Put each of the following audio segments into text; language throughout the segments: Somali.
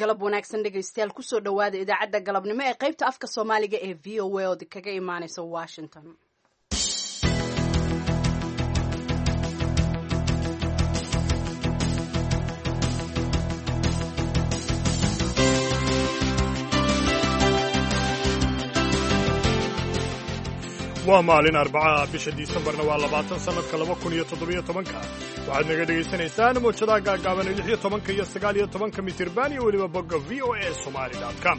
Galab wanaagsan dhegaystayaal, kusoo dhowaada idaacadda galabnimo ee qaybta afka Soomaaliga ee VOA oo kaga imaaneysa Washington. Waa maalin Arbacaha, bisha Disembarna waa 20, sannadka 2017-ka. Waxaad naga dhegaysanaysaan mowjadaha gaagaaban ee 16-ka iyo 19-ka mitirban iyo weliba bogga VOA Somali com.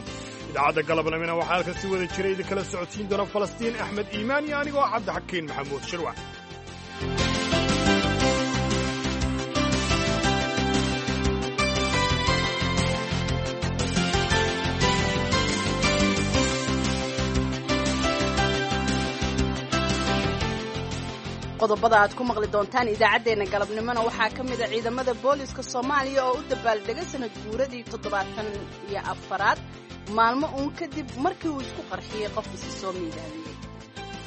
Idaacadda galabnimina waxaa halkan si wada jira idinkala socodsiin doona Falastiin Axmed Iimaan iyo anigoo Cabdixakiin Maxamuud Shirwac. Qodobada aad ku maqli doontaan idaacaddeenna galabnimona waxaa ka mid a ciidamada booliska Soomaaliya oo u dabaaldegay sanad guuradii 74aad, maalmo uun kadib markii uu isku qarxiyey qof isi soo miidaamiyey.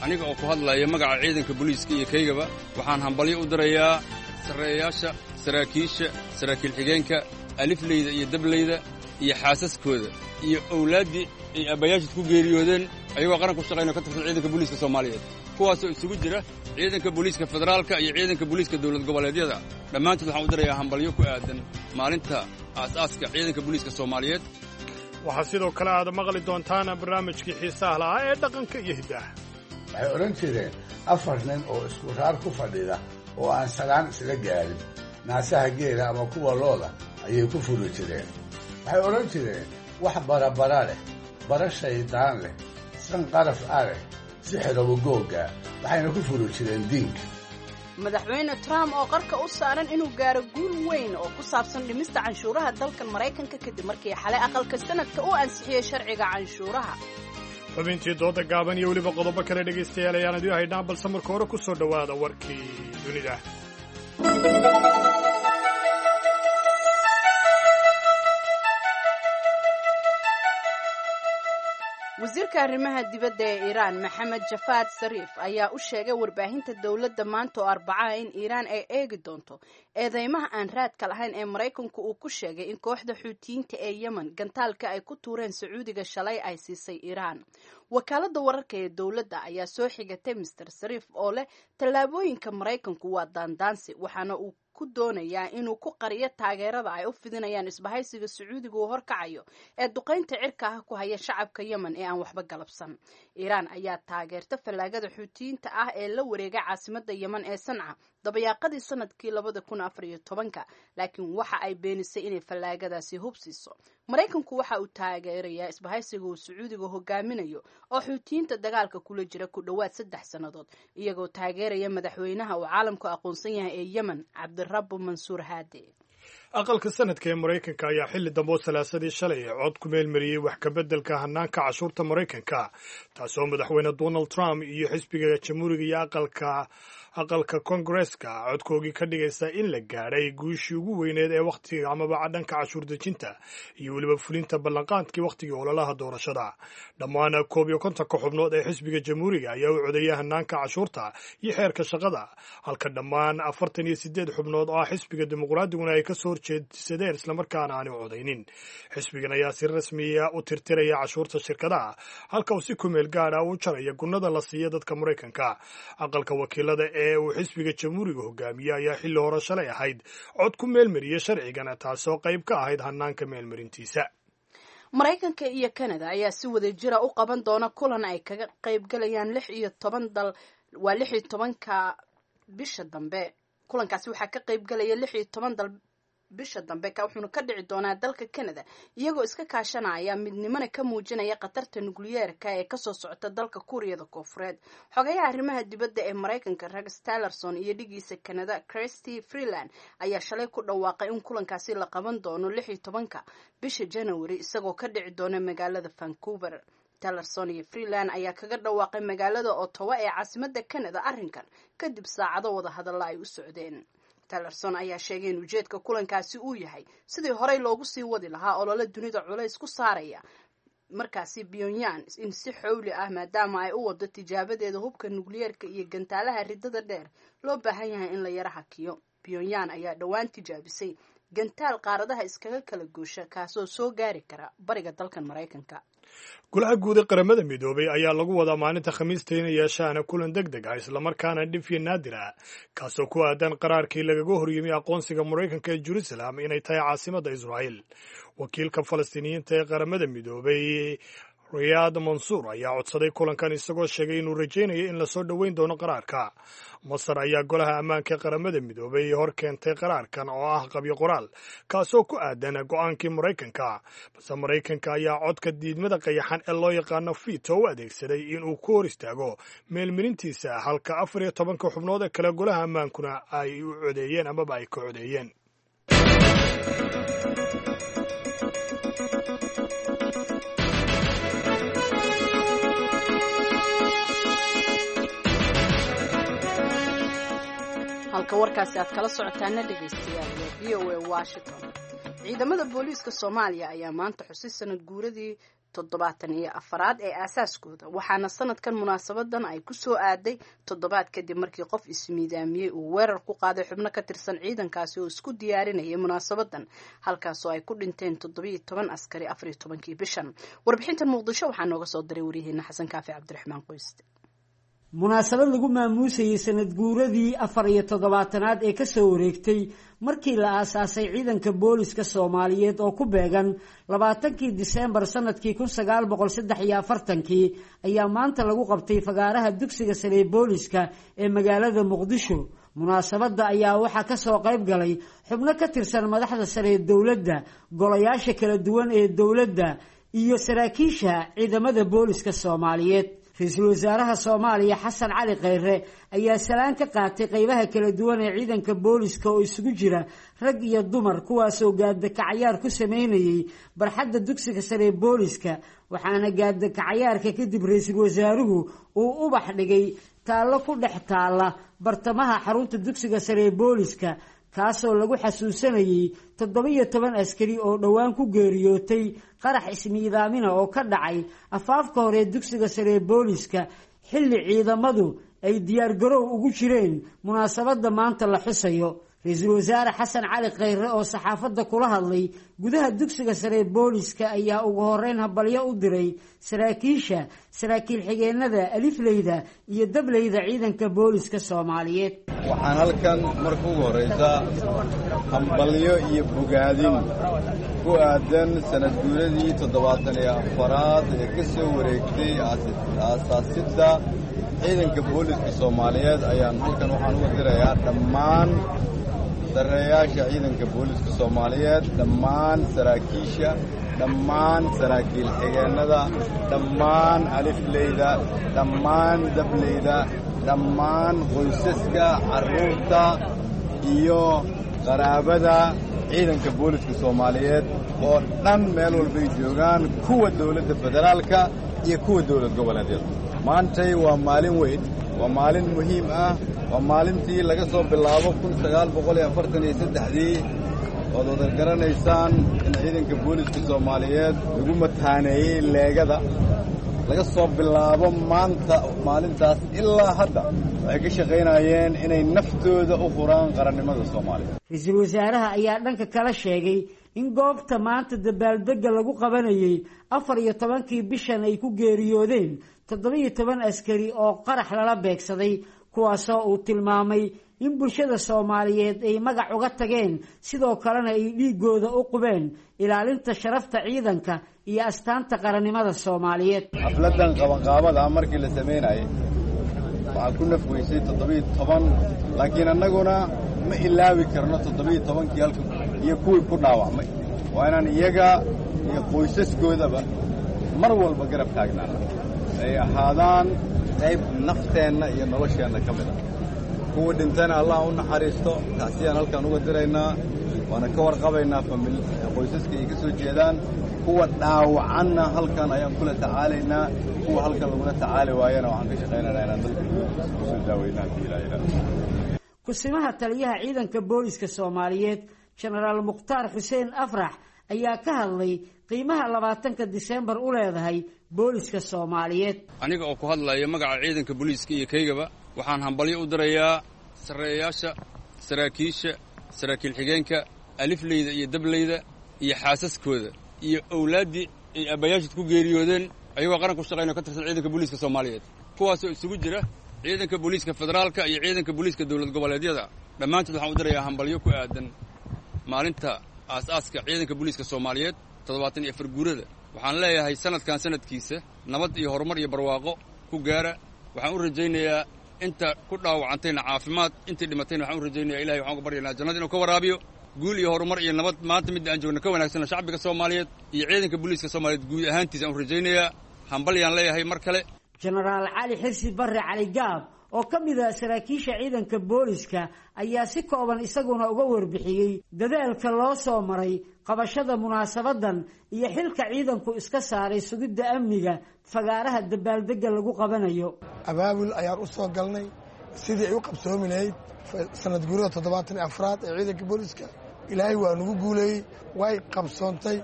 Aniga oo ku hadlaya magaca ciidanka booliiska iyo kaygaba, waxaan hambalyo u dirayaa sarreeyaasha, saraakiisha, saraakiil xigeenka, alifleyda iyo dableyda iyo xaasaskooda iyo owlaaddii ay aabbayaashood ku geeriyoodeen ayagoo qaran ku shaqaynao ka tirsan ciidanka booliiska Soomaaliyeed, kuwaasoo isugu jira ciidanka booliiska federaalka iyo ciidanka booliiska dowlad goboleedyada. Dhammaantood waxaan u dirayaa hambalyo ku aadan maalinta aasaaska ciidanka booliiska Soomaaliyeed. Waxaa sidoo kale aad maqli doontaan barnaamijkii xiisaha lahaa ee dhaqanka iyo hiddaha. Waxay odhan jireen afar nin oo isku raar ku fadhida oo aan salaan isla gaarin, naasaha geela ama kuwa looda ayay ku furi jireen. Waxay odhan jireen wax barabara leh, bara shaydaan leh, san qaraf a leh, sixiraba googga, waxayna ku furi jireen diinka. Madaxweyne Trump oo qarka u saaran inuu gaaro guul weyn oo ku saabsan dhimista canshuuraha dalkan Maraykanka kadib markii xalay aqalka sanadka u ansixiyey sharciga canshuuraha. Xubintii dooda gaaban iyo weliba qodobo kale, dhegaystayaal, ayaan idiin haynaa, balse marka hore ku soo dhowaada warkii dunida. Wasiirka arrimaha dibadda ee Iiraan, Maxamed Jafaad Sariif, ayaa u sheegay warbaahinta dowladda maanta oo Arbacaha in Iiraan ay eegi doonto eedeymaha aan raadka lahayn ee Maraykanku uu ku sheegay in kooxda Xuutiyiinta ee Yemen gantaalka ay ku tuureen Sacuudiga shalay ay siisay Iiraan. Wakaaladda wararka ee dowladda ayaa soo xigatay Mister Sariif oo leh tallaabooyinka Maraykanku waa daandaansi, waxaana uu ku doonayaa inuu ku qariyo taageerada ay u fidinayaan isbahaysiga Sacuudiga uu horkacayo ee duqaynta cirka ah ku haya shacabka Yemen ee aan waxba galabsan. Iiraan ayaa taageerta fallaagada Xuutiyiinta ah ee la wareegay caasimadda Yemen ee Sanca dabayaaqadii sanadkii 2014-ka, laakiin waxa ay beenisay inay fallaagadaasi hubsiiso. Maraykanku waxa uu taageerayaa isbahaysiga uu Sacuudiga hogaaminayo oo Xuutiyiinta dagaalka kula jira ku dhowaad 3 sannadood, iyagoo taageeraya madaxweynaha uu caalamku aqoonsan yahay ee Yemen, Cabdirabbu Mansuur Haadi. Aqalka sanadka ee Maraykanka ayaa xilli dambe oo Salaasadii shalay cod ku meelmariyey wax kabeddelka hanaanka cashuurta Maraykanka, taasoo madaxweyne Donald Trump iyo xisbiga Jamhuuriga iyo aqalka Kongareska codkoogii ka dhigaysa in la gaadhay guushii ugu weyneed ee wakhtiga amaba dhanka cashuur dejinta iyo weliba fulinta ballanqaadkii wakhtigii ololaha doorashada. Dhammaan 51-ka xubnood ee xisbiga Jamhuuriga ayaa u codeeyay hanaanka cashuurta iyo xeerka shaqada, halka dhammaan 48 xubnood oo ah xisbiga Dimuqraadiguna ay kasoo horjeedsadeen islamarkaana aani codaynin. Xisbigan ayaa si rasmiya u tirtiraya cashuurta shirkadaha, halka uu si kumeel gaadha u jaraya gunnada la siiya dadka Maraykanka. Aqalka Wakiilada ee uu xisbiga Jamhuuriga hogaamiye ayaa xilli hore shalay ahayd cod ku meelmariyey sharcigan, taasoo qayb ka ahayd hanaanka meelmarintiisa. Maraykanka iyo Canada ayaa si wada jira u qaban doona kulan ay kaga qaybgalayaan 16 dal, waa 16-ka bisha dambe. Kulankaasi waxaa ka qaybgalaya 16 dal bisha dambe, wuxuuna ka dhici doonaa dalka Canada, iyagoo iska kaashanaya midnimona ka muujinaya khatarta nukliyeerka ee kasoo socota dalka Kuuriyada Koofureed. Xogayaha arrimaha dibadda ee Maraykanka, Rex Tillerson, iyo dhigiisa Canada, Christy Freeland, ayaa shalay ku dhawaaqay in kulankaasi la qaban doono 16-ka bisha January, isagoo ka dhici doona magaalada Vancouver. Tillerson iyo Freeland ayaa kaga dhawaaqay magaalada Ottawa ee caasimada Canada arrinkan kadib saacado wada hadalla ay u socdeen. Tillerson ayaa sheegay in ujeedka kulankaasi uu yahay sidii horey loogu sii wadi lahaa olole dunida culays ku saaraya markaasi Pyongyang in si xowli ah, maadaama ay u wado tijaabadeeda hubka nukliyeerka iyo gantaalaha ridada dheer, loo baahan yahay in la yara hakiyo. Pyongyang ayaa dhowaan tijaabisay Gantaal qaaradaha iskaga kala goosha, kaasoo soo gaari kara bariga dalkan Maraykanka. Golaha guud ee Qaramada Midoobay ayaa lagu wadaa maalinta Khamiista inay yeeshaan kulan deg deg ah, islamarkaana dhif iyo naadir ah, kaasoo ku aadan qaraarkii lagaga horyimi aqoonsiga Maraykanka ee Jerusalem inay tahay caasimadda Israa'iil. Wakiilka Falastiiniyiinta ee Qaramada Midoobay, Riyaad Mansuur, ayaa codsaday kulankan, isagoo sheegay inuu rajaynayo in lasoo dhoweyn doono qaraarka. Masar ayaa Golaha Ammaanka ee Qaramada Midoobay hor keentay qaraarkan oo ah qabyo qoraal, kaasoo ku aadan go'aankii Maraykanka, balse Maraykanka ayaa codka diidmada qayaxan ee loo yaqaano fito u adeegsaday inuu ku hor istaago meelmarintiisa, halka 14-ka xubnood ee kale golaha ammaankuna ay u codeeyeen amaba ay ka codeeyeen. Halka warkaasi aad kala socotaana, dhegaystayaal, waa VOA Washington. Ciidamada booliiska Soomaaliya ayaa maanta xusay sanad guuradii 74aad ee aasaaskooda, waxaana sanadkan munaasabadan ay ku soo aaday toddobaad kadib markii qof ismiidaamiyey uu weerar ku qaaday xubno ka tirsan ciidankaasi oo isku diyaarinayay munaasabadan, halkaasoo ay ku dhinteen 17 askari 14-kii bishan. Warbixintan Muqdisho waxaa nooga soo diray waryaheena Xasan Kaafi Cabdiraxmaan Qoyste. Munaasabad lagu maamuusayey sanad guuradii 74aad ee kasoo wareegtay markii la aasaasay ciidanka booliska Soomaaliyeed oo ku beegan 20-kii Diseembar sanadkii 1943-kii ayaa maanta lagu qabtay fagaaraha dugsiga sare ee booliska ee magaalada Muqdisho. Munaasabadda ayaa waxaa kasoo qayb galay xubno ka tirsan madaxda sare ee dowladda, golayaasha kala duwan ee dowladda iyo saraakiisha ciidamada booliska Soomaaliyeed. Ra-iisul wasaaraha Soomaaliya Xasan Cali Kheyre ayaa salaan ka qaatay qeybaha kala duwan ee ciidanka booliska oo isugu jira rag iyo dumar, kuwaasoo gaadakacayaar ku sameynayay barxadda dugsiga sare ee booliska. Waxaana gaadakacayaarka kadib ra-iisul wasaaruhu uu ubax dhigay taallo ku dhex taalla bartamaha xarunta dugsiga sare ee booliska, kaasoo lagu xasuusanayey 17 askari oo dhowaan ku geeriyootay qarax ismiidaamina oo ka dhacay afaafka hore ee dugsiga sare ee booliska, xilli ciidamadu ay diyaargaroow ugu jireen munaasabadda maanta la xusayo. Ra-iisul wasaare Xasan Cali Kheyre oo saxaafadda kula hadlay gudaha dugsiga sare ee booliska ayaa ugu horeyn habalyo u diray saraakiisha, saraakiil xigeenada, alifleyda iyo dableyda ciidanka booliska Soomaaliyeed. Waxaan halkan marka ugu horraysa hambalyo iyo bogaadin ku aadan sanad guuradii 74aad ee ka soo wareegtay aasaasidda ciidanka booliska Soomaaliyeed ayaan halkan waxaan uga dirayaa dhammaan sarreeyaasha ciidanka booliska Soomaaliyeed, dhammaan saraakiisha, dhammaan saraakiil xigeennada, dhammaan alifleyda, dhammaan dableyda, dhammaan qoysaska, carruurta iyo qaraabada ciidanka booliska Soomaaliyeed oo dhan meel walbay joogaan, kuwa dawladda federaalka iyo kuwa dawlad goboleedyada. Maantay waa maalin weyn, waa maalin muhiim ah, waa maalintii laga soo bilaabo 1943-dii ood wada garanaysaan in ciidanka booliska Soomaaliyeed lagu mataaneeyey leegada. Laga soo bilaabo maanta maalintaas ilaa hadda waxay ka shaqaynayeen inay naftooda u furaan qarannimada Soomaaliya. Ra-iisul wasaaraha ayaa dhanka kala sheegay in goobta maanta dabaaldegga lagu qabanayey 14-kii bishan ay ku geeriyoodeen 17 askari oo qarax lala beegsaday, kuwaasoo uu tilmaamay in bulshada Soomaaliyeed ay magac uga tageen, sidoo kalena ay dhiigooda u qubeen ilaalinta sharafta ciidanka iyo astaanta qarannimada Soomaaliyeed. Xafladdan qabanqaabada markii la samaynayay waxaa ku naf weysay 17, laakiin annaguna ma ilaawi karno 17-kii halka iyo kuwii ku dhaawacmay. Waa inaan iyaga iyo qoysaskoodaba mar walba garab taagnaana, ay ahaadaan qayb nafteenna iyo nolosheenna ka mid ah. Kuwa dhintana Allah u naxariisto, tacsiyaan halkaan uga diraynaa, waana ka warqabaynaa qoysaska ay ka soo jeedaan. Kuwa dhaawacanna halkan ayaan kula tacaalaynaa, kuwa halkan lagula tacaali waayana waxaan ka shaqaynaynaa inaan dalka kusoo daaweynaa haddii Ilaah yidhaahdo. Kusimaha taliyaha ciidanka booliska Soomaaliyeed, Jenaraal Mukhtaar Xuseen Afrax, ayaa ka hadlay qiimaha 20-ka Diseembar u leedahay booliska Soomaaliyeed. Aniga oo ku hadlaya magaca ciidanka booliiska iyo kaygaba, waxaan hambalyo u dirayaa sarreeyaasha, saraakiisha, saraakiil xigeenka, Alifleyda iyo dableyda iyo xaasaskooda iyo owlaaddii ay aabbayaashood ku geeriyoodeen ayagoo qaran ku shaqaynao ka tirsan ciidanka booliiska Soomaaliyeed, kuwaasoo isugu jira ciidanka booliiska federaalka iyo ciidanka booliiska dowlad goboleedyada. Dhammaantood waxaan u dirayaa hambalyo ku aadan maalinta aas-aaska ciidanka booliiska Soomaaliyeed, 74 guurada. Waxaan leeyahay sanadkan sanadkiisa nabad iyo horumar iyo barwaaqo ku gaara. Waxaan u rajaynayaa inta ku dhaawacantayna caafimaad, intii dhimatayna waxaan u rajaynayaa Ilahay waxaan uga baryaynaa jannada inuu ka waraabiyo. Guul iyo horumar iyo nabad maanta midda aan joogno ka wanaagsana shacbiga Soomaaliyeed iyo ciidanka booliiska Soomaaliyeed guud ahaantiisa aan u rajaynayaa. Hambalyaan leeyahay mar kale. Jenaraal Cali Xirsi Barre Cali Gaab oo ka mid ah saraakiisha ciidanka booliska ayaa si kooban isaguna uga warbixiyey dadaalka loo soo maray qabashada munaasabadan iyo xilka ciidanku iska saaray sugidda amniga fagaaraha dabaaldegga lagu qabanayo. Abaabul ayaan u soo galnay sidii ay u qabsoomi lahayd sanad guurada 74aad ee ciidanka booliska. Ilaahay waa nagu guuleeyey, way qabsoontay.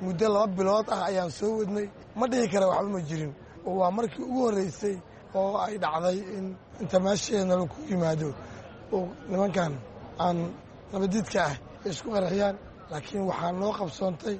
Muddo 2 bilood ah ayaan soo wadnay, ma dhihi kara waxba ma jirin, oo waa markii ugu horreysay oo ay dhacday in inta meesheena laku yimaado oo nimankan aan nabadiidka ah ay isku qarxiyaan. Laakiin waxaa noo qabsoontay,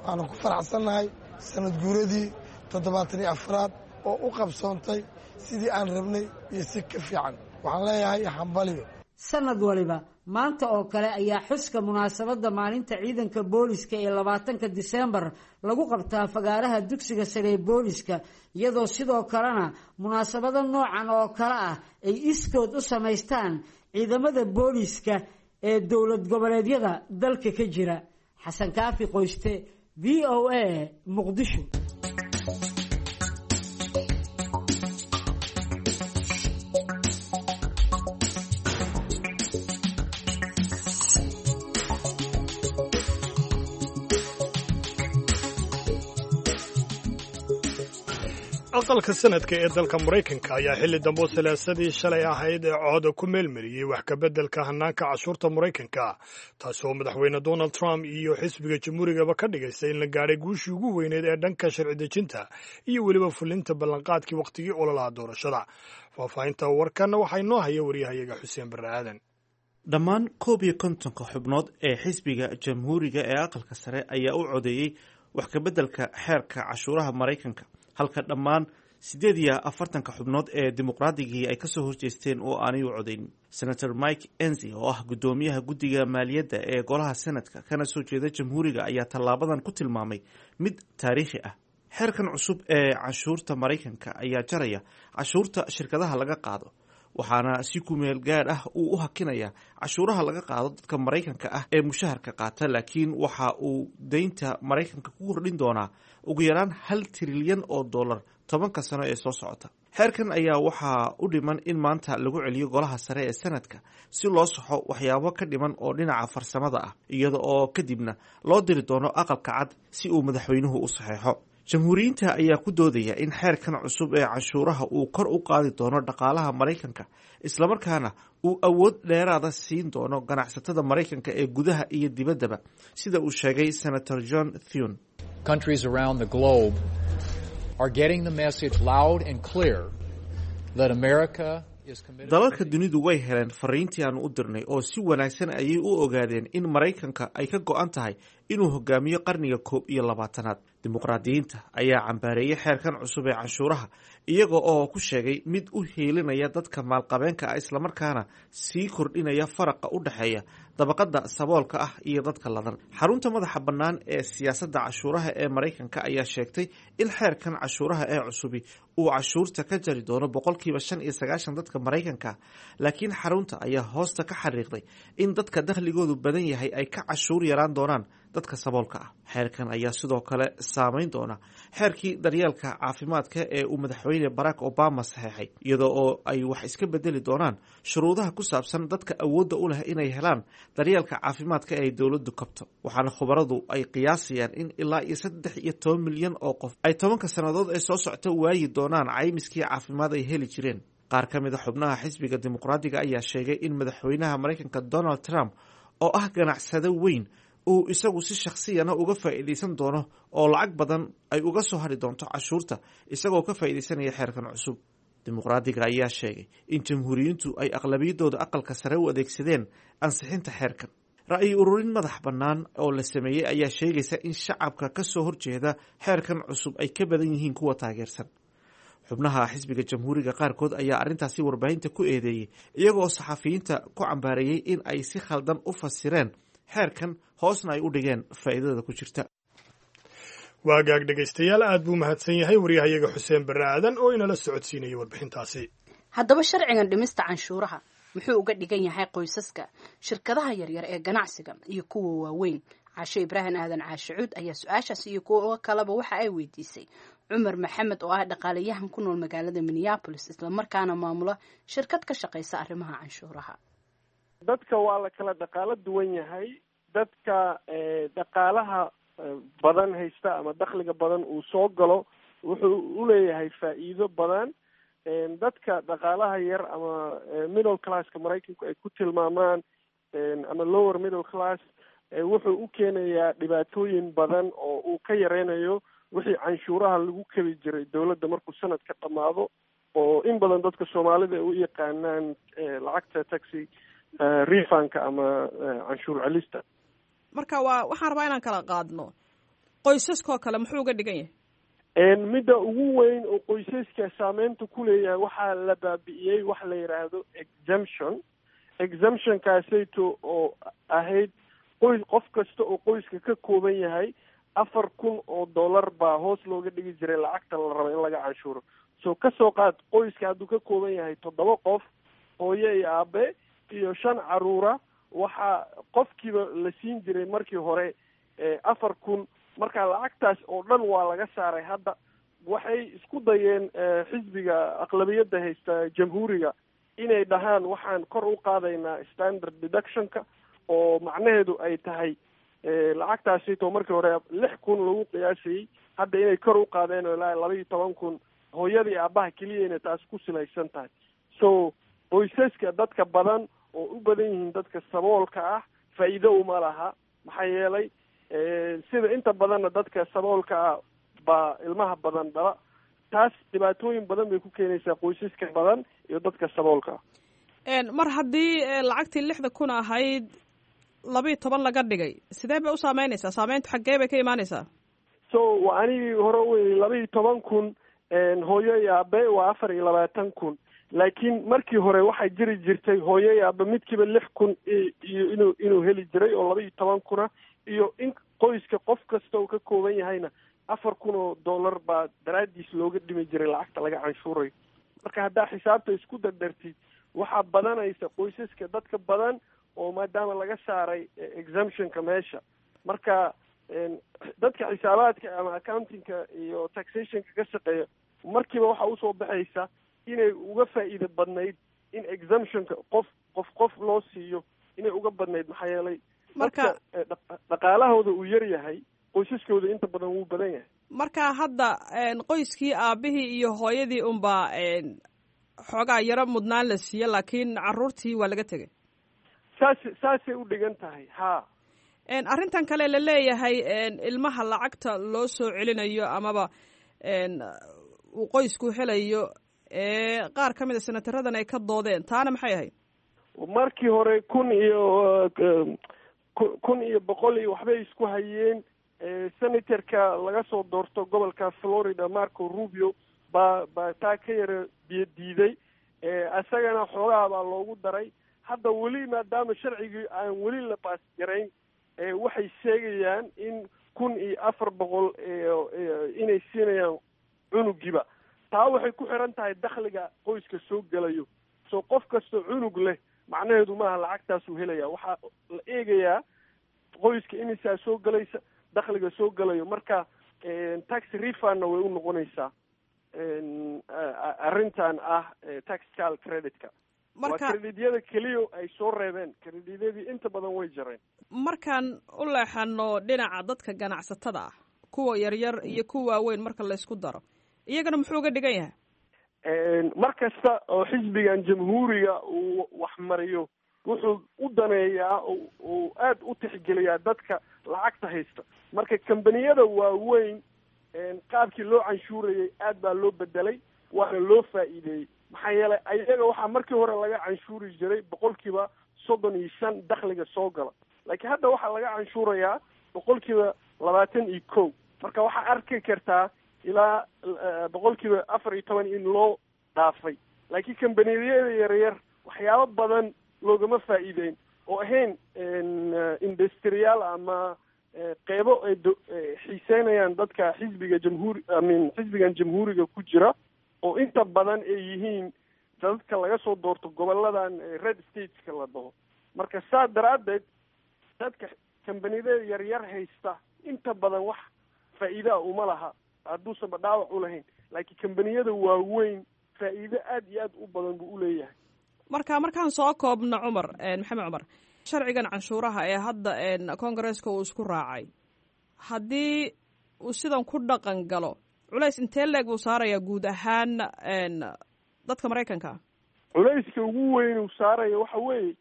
waanu ku faraxsannahay sanad guuradii 74aad oo u qabsoontay sidii aan rabnay iyo si ka fiican. Waxaan leeyahay hambaliyo. Sanad waliba maanta oo kale ayaa xuska munaasabadda maalinta ciidanka booliska ee 20ka Diseembar lagu qabtaa fagaaraha dugsiga sare ee booliska, iyadoo sidoo kalena munaasabado noocan oo kale ah ay iskood u samaystaan ciidamada booliska ee dowlad goboleedyada dalka ka jira. Xasan Kaafi Qoyste, VOA, Muqdisho. Aqalka sanadka ee dalka Maraykanka ayaa xilli dambe salaasadii shalay ahayd ee cooda ku meelmariyey wax kabeddelka hannaanka cashuurta Maraykanka, taasoo madaxweyne Donald Trump iyo xisbiga Jamhuurigaba ka dhigaysa in la gaadhay guushii ugu weyneed ee dhanka sharci dejinta iyo weliba fulinta ballanqaadkii wakhtigii ololaha doorashada. Faahfaahinta warkan waxaa inoo haya waryahayaga Xuseen Barre Aadan. Dhammaan 51ka xubnood ee xisbiga Jamhuuriga ee aqalka sare ayaa u codeeyey wax kabeddelka xeerka cashuuraha Maraykanka, halka dhammaan 48ka xubnood ee dimuqraadigii ay kasoo horjeesteen oo aanay u codeynin. Senator Mike Enzi oo ah guddoomiyaha guddiga maaliyadda ee golaha senadka kana soo jeeda Jamhuuriga ayaa tallaabadan ku tilmaamay mid taariikhi ah. Xeerkan cusub ee canshuurta Maraykanka ayaa jaraya cashuurta shirkadaha laga qaado, waxaana si kumeel gaadh ah uu u hakinayaa cashuuraha laga qaado dadka Maraykanka ah ee mushaharka qaata, laakiin waxa uu deynta Maraykanka ku kordhin doonaa ugu yaraan $1 trilyan 10ka sano ee soo socota. Xeerkan ayaa waxaa u dhiman in maanta lagu celiyo golaha sare ee sanadka si loo saxo waxyaabo ka dhiman oo dhinaca farsamada ah, iyada oo kadibna loo diri doono Aqalka Cad si uu madaxweynuhu u saxeexo. Jamhuuriyiinta ayaa ku doodaya in xeerkan cusub ee canshuuraha uu kor u qaadi doono dhaqaalaha Maraykanka, islamarkaana uu awood dheeraada siin doono ganacsatada Maraykanka ee gudaha iyo dibaddaba, sida uu sheegay Senator John Thune. Countries around the globe are getting the message loud and clear that America is committed. Dalalka dunidu way heleen fariintii aanu u dirnay oo si wanaagsan ayay u ogaadeen in Maraykanka ay ka go'an tahay inuu hogaamiyo qarniga 21aad. Dimuqraadiyiinta ayaa cambaareeyey xeerkan cusub ee canshuuraha, iyaga oo ku sheegay mid u hiilinaya dadka maalqabeenka ah, islamarkaana sii kordhinaya faraqa u dhexeeya dabaqada saboolka ah iyo dadka ladan. Xarunta madaxa bannaan ee siyaasadda cashuuraha ee Maraykanka ayaa sheegtay in xeerkan cashuuraha ee cusubi uu cashuurta ka jari doono 95% dadka Maraykanka, laakiin xarunta ayaa hoosta ka xariiqday in dadka dakhligoodu badan yahay ay ka cashuur yaraan doonaan dadka saboolka ah. Xeerkan ayaa sidoo kale saameyn doona xeerkii daryeelka caafimaadka ee uu madaxweyne Barack Obama saxeexay, iyadoo oo ay wax iska bedeli doonaan shuruudaha ku saabsan dadka awoodda u leh inay helaan daryeelka caafimaadka ee ay dowladdu kabto. Waxaana khubaradu ay qiyaasayaan in ilaa iyo 13 milyan oo qof ay 10ka sannadood ee soo socta waayi doonaan caymiskii caafimaad ay heli jireen. Qaar ka mid a xubnaha xisbiga Dimuqraadiga ayaa sheegay in madaxweynaha Maraykanka Donald Trump oo ah ganacsado weyn uu isagu si shakhsiyana uga faa'iidaysan doono oo lacag badan ay uga soo hari doonto cashuurta isagoo ka faa'iidaysanaya xeerkan cusub. Dimuqraadiga ayaa sheegay in Jamhuuriyiintu ay aqlabiyadooda aqalka sare u adeegsadeen ansixinta xeerkan. Ra'yi ururin madax bannaan oo la sameeyey ayaa sheegaysa in shacabka ka soo horjeeda xeerkan cusub ay ka badan yihiin kuwa taageersan. Xubnaha xisbiga Jamhuuriga qaarkood ayaa arrintaasi warbaahinta ku eedeeyey, iyagoo saxafiyiinta ku cambaareeyey in ay si khaldan u fasireen xeerkan, hoosna ay u dhigeen faa'iidada ku jirta. Waagaag dhegaystayaal, aad buu mahadsan yahay waryahayaga Xuseen Barre Aadan oo inala socodsiinayay warbixintaasi. Haddaba sharcigan dhimista canshuuraha muxuu uga dhigan yahay qoysaska, shirkadaha yaryar ee ganacsiga iyo kuwa waaweyn? Caashe Ibraahim Aadan Caashicuud ayaa su-aashaas iyo kuwa kaleba waxa ay weydiisay Cumar Maxamed oo ah dhaqaalayahan ku nool magaalada Minneapolis, islamarkaana maamula shirkad ka shaqaysa arrimaha canshuuraha. Dadka waa la kala dhaqaalo duwan yahay. Dadka dhaqaalaha badan haysta ama dakhliga badan uu soo galo wuxuu uleeyahay faa'iido badan. Dadka dhaqaalaha yar ama middle classka Maraykanku ay ku tilmaamaan ama lower middle class wuxuu u keenayaa dhibaatooyin badan oo uu ka yareynayo wixii canshuuraha lagu kebi jiray dowladda markuu sanadka dhammaado, oo in badan dadka Soomaalida ay u yaqaanaan lacagta tax refundka ama canshuur celista. Marka waa waxaan rabaa inaan kala qaadno qoysaskoo kale, muxuu uga dhigan yahay? Midda ugu weyn oo qoysaska saameynta ku leeyahay, waxaa la baabi'iyey waxa la yidhaahdo exemption. Exemptionkaasayto oo ahayd qoys, qof kasta oo qoyska ka kooban yahay $4,000 baa hoos looga dhigi jiray lacagta la rabo in laga canshuuro. So kasoo qaad qoyska hadduu ka kooban yahay toddoba qof, hooyo iyo aabe iyo shan caruura, waxaa qofkiiba la siin jiray markii hore 4,000. Marka lacagtaas oo dhan waa laga saaray. Hadda waxay isku dayeen xisbiga aqlabiyadda haysta, Jamhuuriga, inay dhahaan waxaan kor u qaadaynaa standard deductionka, oo macnaheedu ay tahay lacagtaasito markii hore 6,000 lagu qiyaasayey hadda inay kor u qaadeen oo ilaa 12,000 hooyadii aabaha keliya inay taas ku silaysan tahay. So qoysaska dadka badan oo u badan yihiin dadka saboolka ah faa'iido uma laha, maxaa yeelay sida inta badanna dadka saboolka ah baa ilmaha badan dhala. Taas dhibaatooyin badan bay ku keenaysaa qoysaska badan iyo dadka saboolka ah. Mar haddii lacagtii 6,000 ahayd 12 laga dhigay, sidee bay u saameynaysaa? Saameyntu xaggee bay ka imaanaysaa? So waa anigii hore wey, 12,000 hooyo iyo aabe waa 24,000, laakiin markii hore waxaa jiri jirtay hooyo iyo aabe midkiiba 6,000 iyo inuu heli jiray oo 12,000a, iyo in qoyska qof kasta uu ka kooban yahayna $4,000 baa daraaddiis looga dhimi jiray lacagta laga canshuurayo. Marka haddaa xisaabta isku dardartid, waxaa badanaysa qoysaska dadka badan oo maadaama laga saaray exemptionka meesha. Marka dadka xisaabaadka ama accountingka iyo taxationka ka shaqeeya markiiba waxaa usoo baxaysa inay uga faa'iido badnayd in exemptionka qof qof qof loo siiyo inay uga badnayd, maxaa yeelay Marka dadka dhaqaalahooda uu yar yahay, qoysaskooda inta badan wuu badan yahay. Marka hadda qoyskii aabihii iyo hooyadii unbaa xoogaa yaro mudnaan la siiye, laakiin caruurtii waa laga tegay. Saasay u dhigan tahay, ha. Arrintan kale la leeyahay ilmaha lacagta loo soo celinayo amaba uu qoysku helayo ee qaar ka mid a senataradan ay ka doodeen, taana maxay ahayd? Markii hore 1,100 iyo waxbay isku hayeen. Senatorka laga soo doorto gobolka Florida, Marco Rubio, baa taa ka yara biyo diiday. Isagana xoogaha baa loogu daray. Hadda weli maadaama sharcigii aan weli la baas garayn, waxay sheegayaan in 1,400 inay siinayaan cunugiiba. Taa waxay ku xiran tahay dakhliga qoyska soo gelayo. So qof kastoo cunug leh macnaheedu maaha lacagtaasuu helaya. Waxaa la eegayaa qoyska imisaa soo gelaysa, dakhliga soo gelayo. Marka tax refundna way u noqonaysaa arrintan ah tax child creditka. Waa credityada keliya ay soo reebeen, credityadii inta badan way jareen. Markaan u leexano dhinaca dadka ganacsatada ah, kuwa yaryar iyo kuwa waaweyn marka laysku daro, iyagana muxuu uga dhigan yahay? Mar kasta oo xisbigan Jamhuuriga uu wax mariyo wuxuu u daneeyaa, uu aada u tixgeliyaa dadka lacagta haysta. Marka kambaniyada waaweyn qaabkii loo canshuurayay aad baa loo bedelay, waana loo faa'iideeyey, maxaa yeelay ayaga waxaa markii hore laga canshuuri jiray 35% dakhliga soo gala. Laakiin hadda waxaa laga canshuurayaa 21%. Marka waxaa arki kartaa ilaa 14% in loo dhaafay. Laakiin kambaniyada yaryar waxyaabo badan loogama faa'iideyn oo ahayn industriyaal ama qeybo ay xiiseynayaan dadka xisbiga jamhuuri imean xisbigan jamhuuriga ku jira, oo inta badan ay yihiin dadka laga soo doorto goboladan red stateska la dhaho. Marka saa daraaddeed dadka kambaniyada yaryar haysta inta badan wax faa'iidaa uma laha hadduusanba dhaawac u lahayn, laakiin kambaniyada waaweyn faa'iido aada iyo aad u badan buu uleeyahay. Marka markaan soo koobno, Cumar Maxamed Cumar, sharcigan canshuuraha ee hadda koongareeska uu isku raacay, haddii uu sidan ku dhaqan galo, culays intee leeg buu saarayaa guud ahaan dadka Maraykanka? Culayska ugu weyn uu saaraya waxa weeye,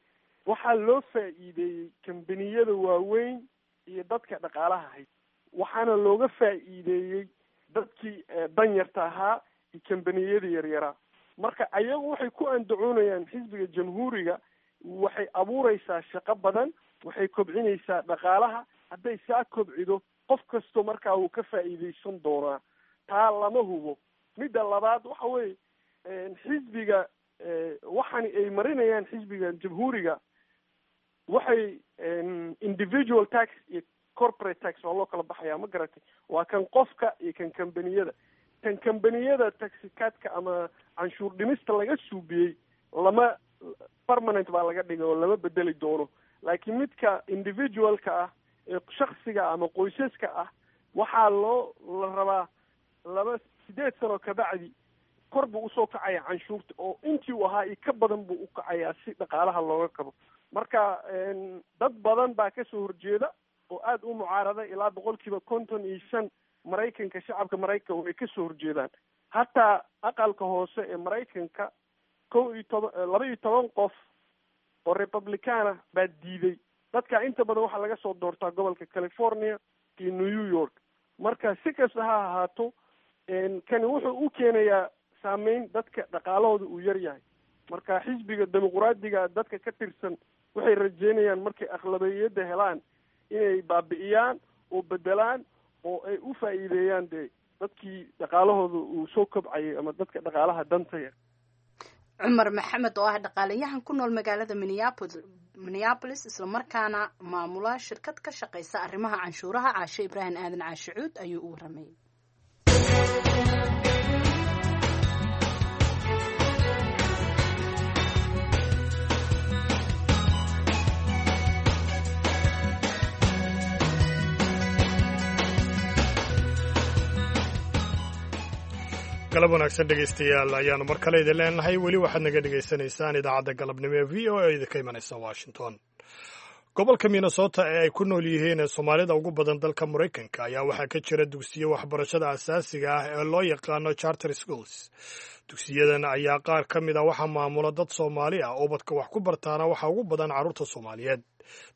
waxaa loo faa'iideeyey kambaniyada waaweyn iyo dadka dhaqaalaha haysta, waxaana looga faa'iideeyey dadkii danyarta ahaa iyo kambaniyada yaryaraa. Marka ayagu waxay ku andacoonayaan, xisbiga jamhuuriga, waxay abuureysaa shaqo badan, waxay kobcinaysaa dhaqaalaha. Hadday saa kobcido, qof kasto markaa wuu ka faa'iideysan doonaa. Taa lama hubo. Midda labaad waxa weeye, xisbiga waxani ay marinayaan, xisbiga jamhuuriga, waxay individual tax iyo corporate tax waa loo kala baxayaa, ma garatay? Waa kan qofka iyo kan kambaniyada. Kan kambaniyada tax cutka ama canshuur dhimista laga suubiyey lama permanent baa laga dhigay oo lama bedeli doono, laakiin midka individualka ah ee shaksiga ama qoysaska ah waxaa loo la rabaa 8 sano kabacdi kor buu usoo kacaya canshuurta, oo intii uu ahaa iyo ka badan buu u kacayaa si dhaqaalaha looga kabo. Marka dad badan baa kasoo horjeeda oo aada u mucaarada. Ilaa 55% Maraykanka, shacabka Maraykanka, way kasoo horjeedaan. Hataa aqalka hoose ee Maraykanka 11, 12 qof oo Republicana baa diiday. Dadka inta badan waxaa laga soo doortaa gobolka California iyo New York. Marka si kasta ha ahaato, kani wuxuu u keenayaa saameyn dadka dhaqaalahooda uu yar yahay. Marka xisbiga Dimuqraadiga dadka ka tirsan waxay rajeynayaan markay aqlabiyadda helaan inay baabi'iyaan oo bedelaan oo ay u faa'iideeyaan dee dadkii dhaqaalahooda uu soo kobcayay ama dadka dhaqaalaha danta yar. Cumar Maxamed oo ah dhaqaalayahan ku nool magaalada Minneapolis, islamarkaana maamula shirkad ka shaqeysa arrimaha canshuuraha, Caashe Ibraahim Aadan Caashicuud ayuu u waramayay. Galab wanaagsan, dhegaystayaal, ayaanu mar kale idin leenahay. Weli waxaad naga dhegaysanaysaan idaacadda galabnimo ee VOA idinka imanaysa Washington. Gobolka Minnesota ee ay ku nool yihiin Soomaalida ugu badan dalka Maraykanka ayaa waxaa ka jira dugsiyo waxbarashada asaasiga ah ee loo yaqaano charter schools. Dugsiyadan ayaa qaar ka mid ah waxaa maamula dad Soomaali ah. Ubadka wax ku bartaana waxaa ugu badan carruurta Soomaaliyeed.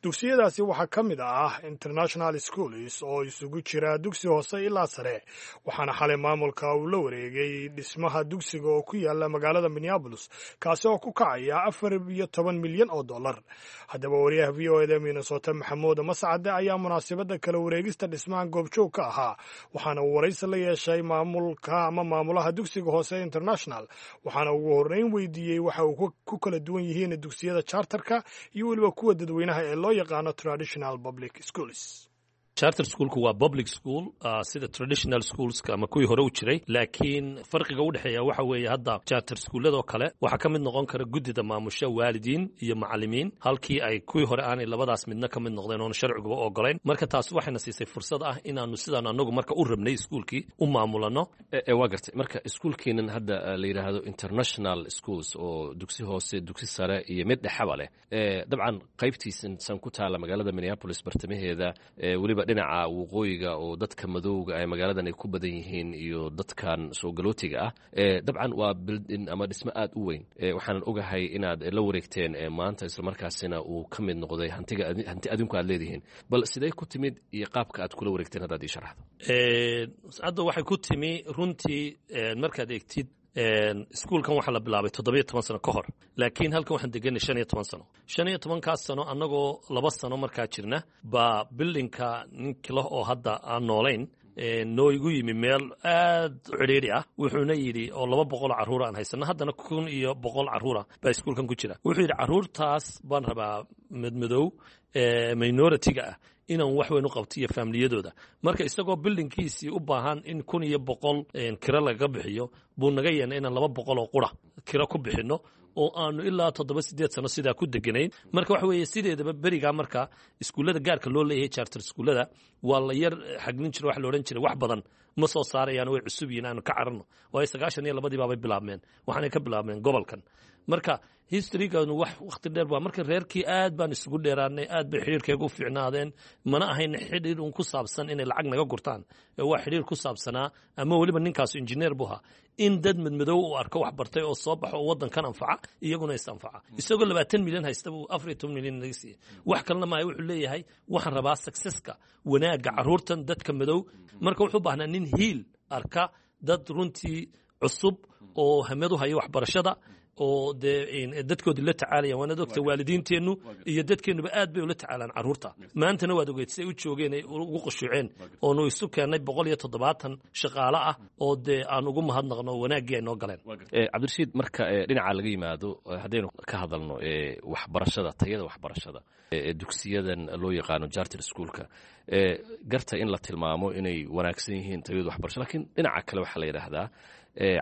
Dugsiyadaasi waxaa ka mid ah International Schools oo isugu jira dugsi hoose ilaa sare, waxaana xalay maamulka uu la wareegay dhismaha dugsiga oo ku yaala magaalada Minneapolis, kaasi oo ku kacaya 14 milyan oo dollar. Haddaba wariyaha VOA da Minnesota, Maxamuud Mascade, ayaa munaasabadda kala wareegista dhismahan goobjoog ka ahaa, waxaana uu waraysi la yeeshay maamulka ama maamulaha dugsiga hoose International, waxaana ugu horreyn weydiiyey waxa uu ku kala duwan yihiin dugsiyada charterka iyo weliba kuwa dadweynaha ee loo yaqaano traditional public schools. Charter schoolku waa public school sida traditional schoolska ama kuwii hore u jiray, laakiin farqiga u dhexeeya waxa weeye, hadda charter schooladoo kale waxaa ka mid noqon kara guddida maamusha waalidiin iyo macallimiin, halkii ay kuwii hore aanay labadaas midna ka mid noqdeen oona sharciguba ogolayn. Marka taas waxayna siisay fursad ah inaanu sidaan anagu marka u rabnay iskuulkii u maamulano. Waa gartay. Marka iskuulkeenan hadda la yidhaahdo International Schools, oo dugsi hoose, dugsi sare iyo mid dhexaba leh, dabcan qaybtiisan san ku taala magaalada Minneapolis bartamaheeda, weliba dhinaca waqooyiga oo dadka madowga ee magaaladan ay ku badan yihiin iyo dadkan soo galootiga ah, dabcan waa building ama dhismo aad u weyn. Waxaanan ogahay inaad la wareegteen maanta, islamarkaasina uu ka mid noqday hantiga hanti adinku aad leedihiin. Bal sidee ku timid iyo qaabka aad kula wareegteen haddaad ii sharaxdo? Hadda waxay ku timi runtii, markaad eegtid Iskuulkan waxaa la bilaabay 17 sano ka hor, laakiin halkan waxaan deganay 15 sano. 15-kaas sano annagoo 2 sano markaa jirna baa buildingka ninkila oo hadda aan noolayn noo igu yimi meel aad u cidhiidhi ah. Wuxuuna yidhi oo 200 carruur aan haysano, haddana 1100 carruura baa iskuulkan ku jira. Wuxuu yidhi carruurtaas baan rabaa madmadow minority-ga ah inaan wax weyn u qabto iyo faamiliyadooda. Marka isagoo buildingkiisii u baahan in 1100 kiro lagaga bixiyo buu naga yeennay inaan 200 oo qura kiro ku bixinno, oo aanu ilaa 7, 8 sano sidaa ku deganayn. Marka waxa weeye, sideedaba berigaa marka iskuullada gaarka loo leeyahay, charter iskuullada, waa la yar xaglin jira. Waxa la odhan jiray wax badan ma soo saarayaan, way cusub yihiin, aanu ka cararno. Waayo 92-dii baabay bilaabmeen, waxaanay ka bilaabmeen gobolkan. Marka historyganu wax wakhti dheer baa. Marka reerkii aad baan isugu dheeraanay, aad bay xidhiirkayga u fiicnaadeen. Mana ahayn xidhiir un ku saabsan inay lacag naga gurtaan, waa xidhiir ku saabsanaa ama weliba ninkaasu injineer buu ahaa, in dad madmadow uu arko wax bartay oo soo baxo oo waddankan anfaca, iyaguna is anfaca. Isagoo 20 milyan haysta buu 14 milyan naga siiyey. Wax kalena maayo, wuxuu leeyahay waxaan rabaa successka, wanaagga carruurtan dadka madow. Marka wuxuu baahnaa nin hiil arka dad runtii cusub oo hamad u haya waxbarashada oo dee dadkoodii la tacaalaya. Waanaad ogta, waalidiinteennu iyo dadkeennuba aad bay ula tacaalaan carruurta. Maantana waad ogeed siay u joogeen, ay ugu qushuuceen, oonu isu keennay 170 shaqaale ah oo dee aan ugu mahadnaqno wanaaggii ay noo galeen. Cabdirashiid, marka dhinaca laga yimaado, haddaynu ka hadalno waxbarashada, tayada waxbarashada dugsiyadan loo yaqaano charter schoolka, garta in la tilmaamo inay wanaagsan yihiin tayadu waxbarasho, lakiin dhinaca kale waxaa la yidhaahdaa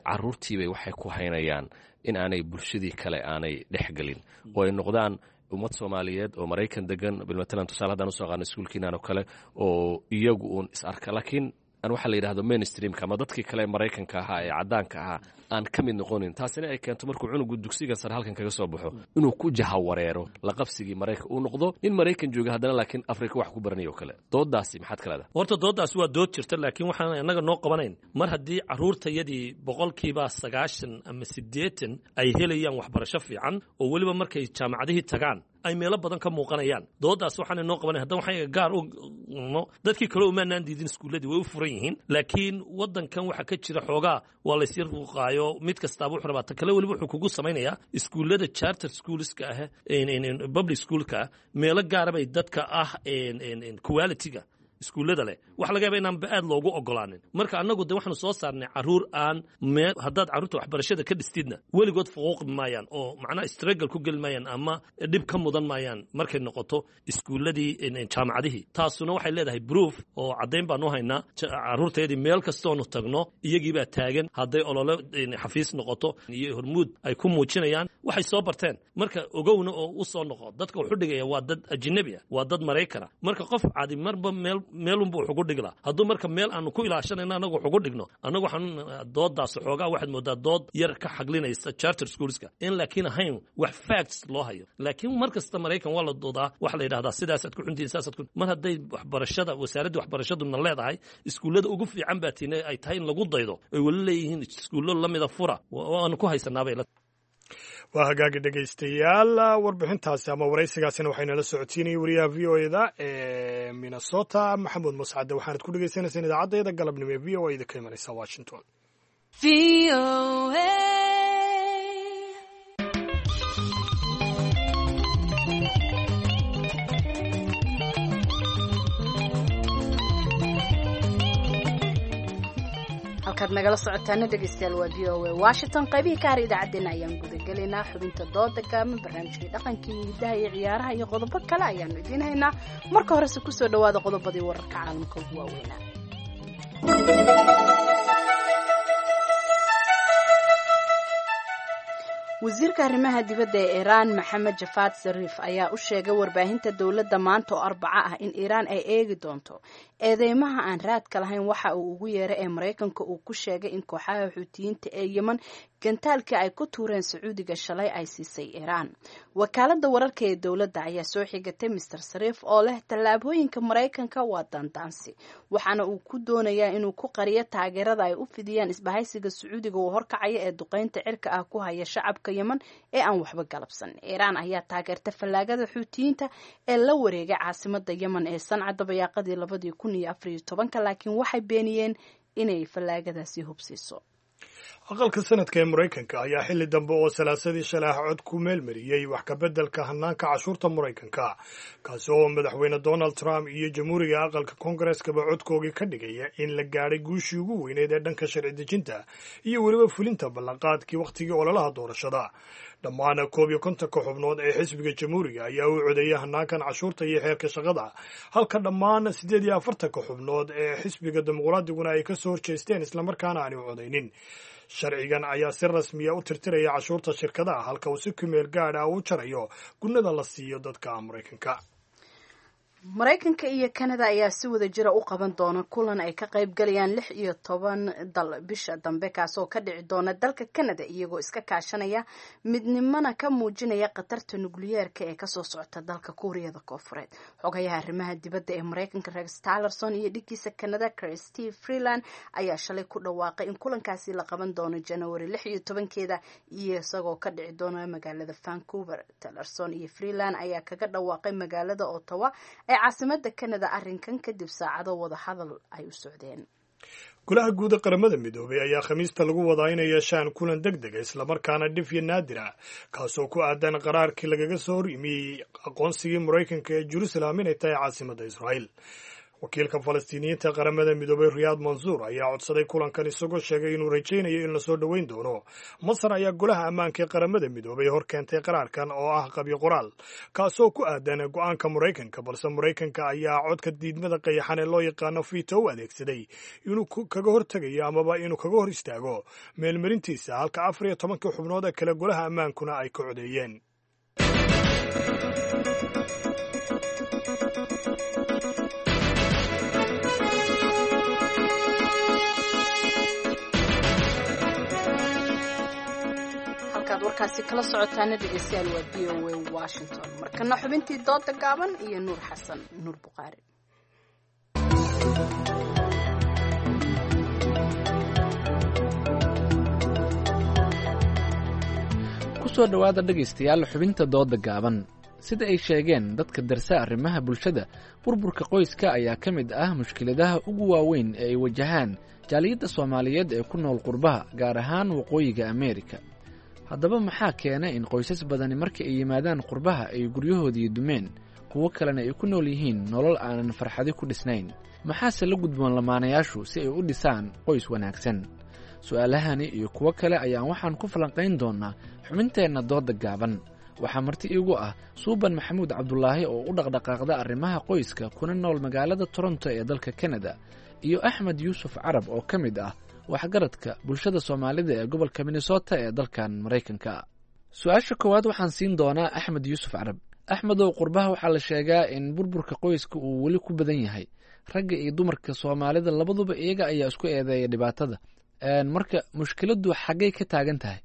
caruurtiibay waxay ku haynayaan in aanay bulshadii kale aanay dhexgelin oo ay noqdaan ummad Soomaaliyeed oo Maraykan degan. Bilmatalan, tusaale haddaan usoo qaadno iskuulkiinan oo kale oo iyagu uun is arka, laakiin aan waxaa la yidhahdo mainstreamka ama dadkii kale Maraykanka ahaa ee caddaanka ahaa aan ka mid noqonin. Taasina ay keento markuu cunugu dugsiga sare halkan kaga soo baxo inuu ku jahawareero laqabsigii Maraykan, uu noqdo nin Maraykan jooga haddana laakiin Afrika wax ku baranayo o kale. Doodaasi maxaad ka leedahay? Horta dooddaasi waa dood jirta, laakiin waxaan innaga noo qabanayn mar haddii carruurtayadii 90% ama 80 ay helayaan waxbarasho fiican, oo weliba markay jaamacadihii tagaan ay meelo badan ka muuqanayaan. Doodaas waxaana noo qabanay haddana waxaan gaar u dadkii kale umaanaan diidin, iskuulladii way u furan yihiin, laakiin waddankan waxaa ka jira xoogaa waa laysii ruuqaayo. Mid kastaaba wuxuu rabaa ta kale. Weliba wuxuu kugu samaynayaa iskuullada charter schoolska ah, public schoolka ah, meelo gaara bay dadka ah quality-ga iskuullada leh waxa laga yaba inaanba aad loogu ogolaanin. Marka annagu de waxaanu soo saarnay carruur aan mee haddaad carruurta waxbarashada ka dhistidna weligood fuquuqi maayaan oo macnaha struggle ku geli maayaan ama dhib ka mudan maayaan markay noqoto iskuulladii, jaamacadihii. Taasuna waxay leedahay proof oo caddayn baanu haynaa. Carruurteedii meel kastoonu tagno iyagiibaa taagan, hadday olole xafiis noqoto iyo hormuud ay ku muujinayaan waxay soo barteen. Marka ogowna oo u soo noqo, dadka wuxu dhigaya waa dad ajnabi ah, waa dad Maraykana. Marka qof cadi marba meel meelunbu wax ugu dhigla hadduu marka meel aanu ku ilaashanayno annagu wax ugu dhigno. Annagu waxaan doodaas xoogaa waxaad moodaa dood yar ka xaglinaysa charter schoolska in, laakiin ahayn wax facts loo hayo. Laakiin mar kasta Maraykan waa la doodaa, waxa la yidhahdaa sidaasaad ku xuntihiin, saasaad ku mar hadday waxbarashada wasaaradda waxbarashaduna leedahay iskuullada ugu fiican baa tiina ay tahay in lagu daydo, ay weli leeyihiin iskuullo lamida fura, waanu ku haysanaabay. Waa hagaagi dhegaystayaal, warbixintaasi ama waraysigaasina waxaynala socotiinayay wariyaha VOA-da ee Minnesota, Maxamuud Mascade. Waxaanad ku dhegaysanaysaan idaacaddeeda galabnimo ee VOA-da ka imanaysa Washington. Halkaad nagala socotaana dhegaystayaal waa VOA Washington. Qaybihii ka har idaacaddeenna ayaan gudagelaynaa: xubinta dooda gaaban, barnaamijkii dhaqankii iyo hidaha, iyo ciyaaraha, iyo qodobo kale ayaanu idiin haynaa. Marka horese kusoo dhawaada qodobadii wararka caalamka ugu waaweynaa. Wasiirka arrimaha dibadda ee Iiraan, Maxamed Jafaad Sariif, ayaa u sheegay warbaahinta dowladda maanta oo Arbaco ah in Iiraan ay eegi doonto eedeymaha aan raadka lahayn waxa uu ugu yeeray ee Maraykanka uu ku sheegay in kooxaha Xuutiyiinta ee Yeman gantaalkii ay ku tuureen Sacuudiga shalay ay siisay Iiraan. Wakaaladda wararka ee dowladda ayaa soo xigatay Mister Sariif oo leh tallaabooyinka Maraykanka waa daandaansi, waxaana uu ku doonayaa inuu ku qariyo taageerada ay u fidiyaan isbahaysiga Sacuudiga uu horkacaya ee duqeynta cirka ah ku haya shacabka Yeman ee aan waxba galabsan. Iiraan ayaa taageerta fallaagada Xuutiyiinta ee la wareegay caasimada Yeman ee Sanca dabayaaqadii 2014-ka, laakiin waxay beeniyeen inay fallaagadaasi hubsiiso. Aqalka Sanadka ee Maraykanka ayaa xilli dambe oo Salaasadii shalay ah cod ku meelmariyey wax kabeddelka hanaanka cashuurta Maraykanka, kaasi oo madaxweyne Donald Trump iyo Jamhuuriga aqalka Koongareskaba codkoogii ka dhigaya in la gaadhay guushii ugu weyneyd ee dhanka sharci dejinta iyo weliba fulinta ballanqaadkii wakhtigii ololaha doorashada. Dhammaan 51-ka xubnood ee xisbiga Jamhuuriga ayaa u codeeyay hanaankan cashuurta iyo xeerka shaqada, halka dhammaan 48-ka xubnood ee xisbiga Dimuqraadiguna ay ka soo horjeesteen islamarkaana aanay u codaynin. Sharcigan ayaa si rasmiya u tirtiraya cashuurta shirkadaha, halka uu si kumeel gaadh ah u jarayo gunnada la siiyo dadka Maraykanka. Maraykanka iyo Canada ayaa si wada jira u qaban doona kulan ay ka qayb galayaan 16 dal bisha dambe, kaasoo ka dhici doona dalka Canada, iyagoo iska kaashanaya midnimana ka muujinaya khatarta nukliyeerka ee kasoo socota dalka Kuuriyada Koofureed. Xogayaha arrimaha dibadda ee Maraykanka Rex Tillerson iyo dhiggiisa Canada Christy Freeland ayaa shalay ku dhawaaqay in kulankaasi la qaban doono January 16-keeda iyo isagoo ka dhici doona magaalada Vancouver. Tillerson iyo Freeland ayaa kaga dhawaaqay magaalada Ottawa ee caasimada Canada arrinkan kadib saacado wada hadal ay u socdeen. Golaha Guud ee Qaramada Midoobay ayaa Khamiista lagu wadaa inay yeeshaan kulan deg dega islamarkaana dhif iyo naadir ah, kaasoo ku aadan qaraarkii lagaga soo hor yimiyey aqoonsigii Maraykanka ee Jerusalem inay tahay caasimadda Israa'iil. Wakiilka Falastiiniyiinta Qaramada Midoobay Riyaad Mansuur ayaa codsaday kulankan, isagoo sheegay inuu rajaynayo in lasoo dhoweyn doono. Masar ayaa Golaha Ammaanka ee Qaramada Midoobay hor keentay qaraarkan oo ah qabyo qoraal, kaasoo ku aadan go'aanka Maraykanka, balse Maraykanka ayaa codka diidmada qayaxan ee loo yaqaano fito u adeegsaday inuu kaga hortegayo amaba inuu kaga hor istaago meelmarintiisa, halka 14-kii xubnood ee kale Golaha Ammaankuna ay ka codeeyeen. Warkaasi kala socotaana dhegeystayaal waa VOA Washington. Markana xubintii dooda gaaban iyo Nuur Xasan Nuur Buqaari. Kusoo dhowaada dhegaystayaal xubinta dooda gaaban. Sida ay sheegeen dadka darsa arrimaha bulshada, burburka qoyska ayaa ka mid ah mushkiladaha ugu waaweyn ee ay wajahaan jaaliyadda Soomaaliyeed ee ku nool qurbaha, gaar ahaan Waqooyiga Ameerika. Haddaba maxaa keena in qoysas badani marka ay yimaadaan qurbaha ay guryahoodii dumeen, kuwo kalena ay ku nool yihiin nolol aanan farxadi ku dhisnayn? Maxaase la gudboon lamaanayaashu si ay u dhisaan qoys wanaagsan? Su'aalahani iyo kuwo kale ayaan waxaan ku falanqayn doonnaa xubinteenna dooda gaaban. Waxaa marti iigu ah Suuban Maxamuud Cabdulaahi oo u dhaqdhaqaaqda arrimaha qoyska kuna nool magaalada Toronto ee dalka Kanada, iyo Axmed Yuusuf Carab oo ka mid ah waxgaradka bulshada Soomaalida ee gobolka Minnesota ee dalkan Maraykanka. Su-aasha koowaad waxaan siin doonaa Axmed Yuusuf Carab. Axmedow, qurbaha waxaa la sheegaa in burburka qoyska uu weli ku badan yahay. Ragga iyo dumarka Soomaalida labaduba iyaga ayaa isku eedeeya dhibaatada. Marka mushkiladdu xaggay ka taagan tahay?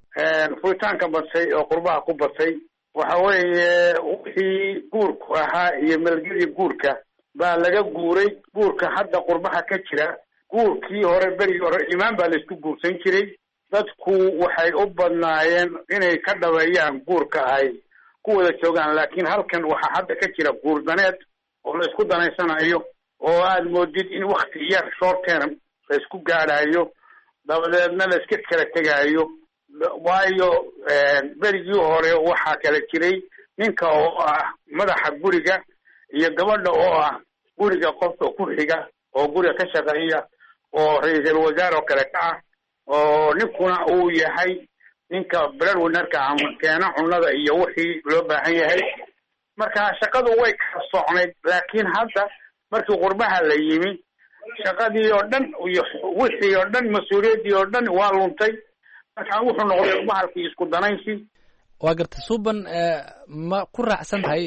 Furitaanka batay oo qurbaha ku batay waxa weeye wixii guurku ahaa iyo melgedii guurka baa laga guuray. Guurka hadda qurbaha ka jira, guurkii hore berigii hore imaan baa laisku guursan jiray. Dadku waxay u badnaayeen inay ka dhabeeyaan guurka ay ku wada joogaan, laakiin halkan waxaa hadda ka jira guur daneed oo la isku danaysanayo, oo aad moodid in wakti yar short term la isku gaadhayo, dabadeedna la iska kala tegaayo. Waayo berigii hore waxaa kala jiray ninka oo ah madaxa guriga iyo gabadha oo ah guriga qofka ku xiga oo guriga ka shaqeeya oo ra-iisul wasaare oo kale ka ah, oo ninkuna uu yahay ninka breadwinnerka ama keena cunnada iyo wixii loo baahan yahay. Marka shaqadu way kala socnayd, laakiin hadda markii qurbaha la yimi shaqadii oo dhan iyo wixii oo dhan, mas-uuliyaddii oo dhan waa luntay. Marka wuxuu noqday bahalkii isku danaysi. Waa gartay Suuban, ma ku raacsan tahay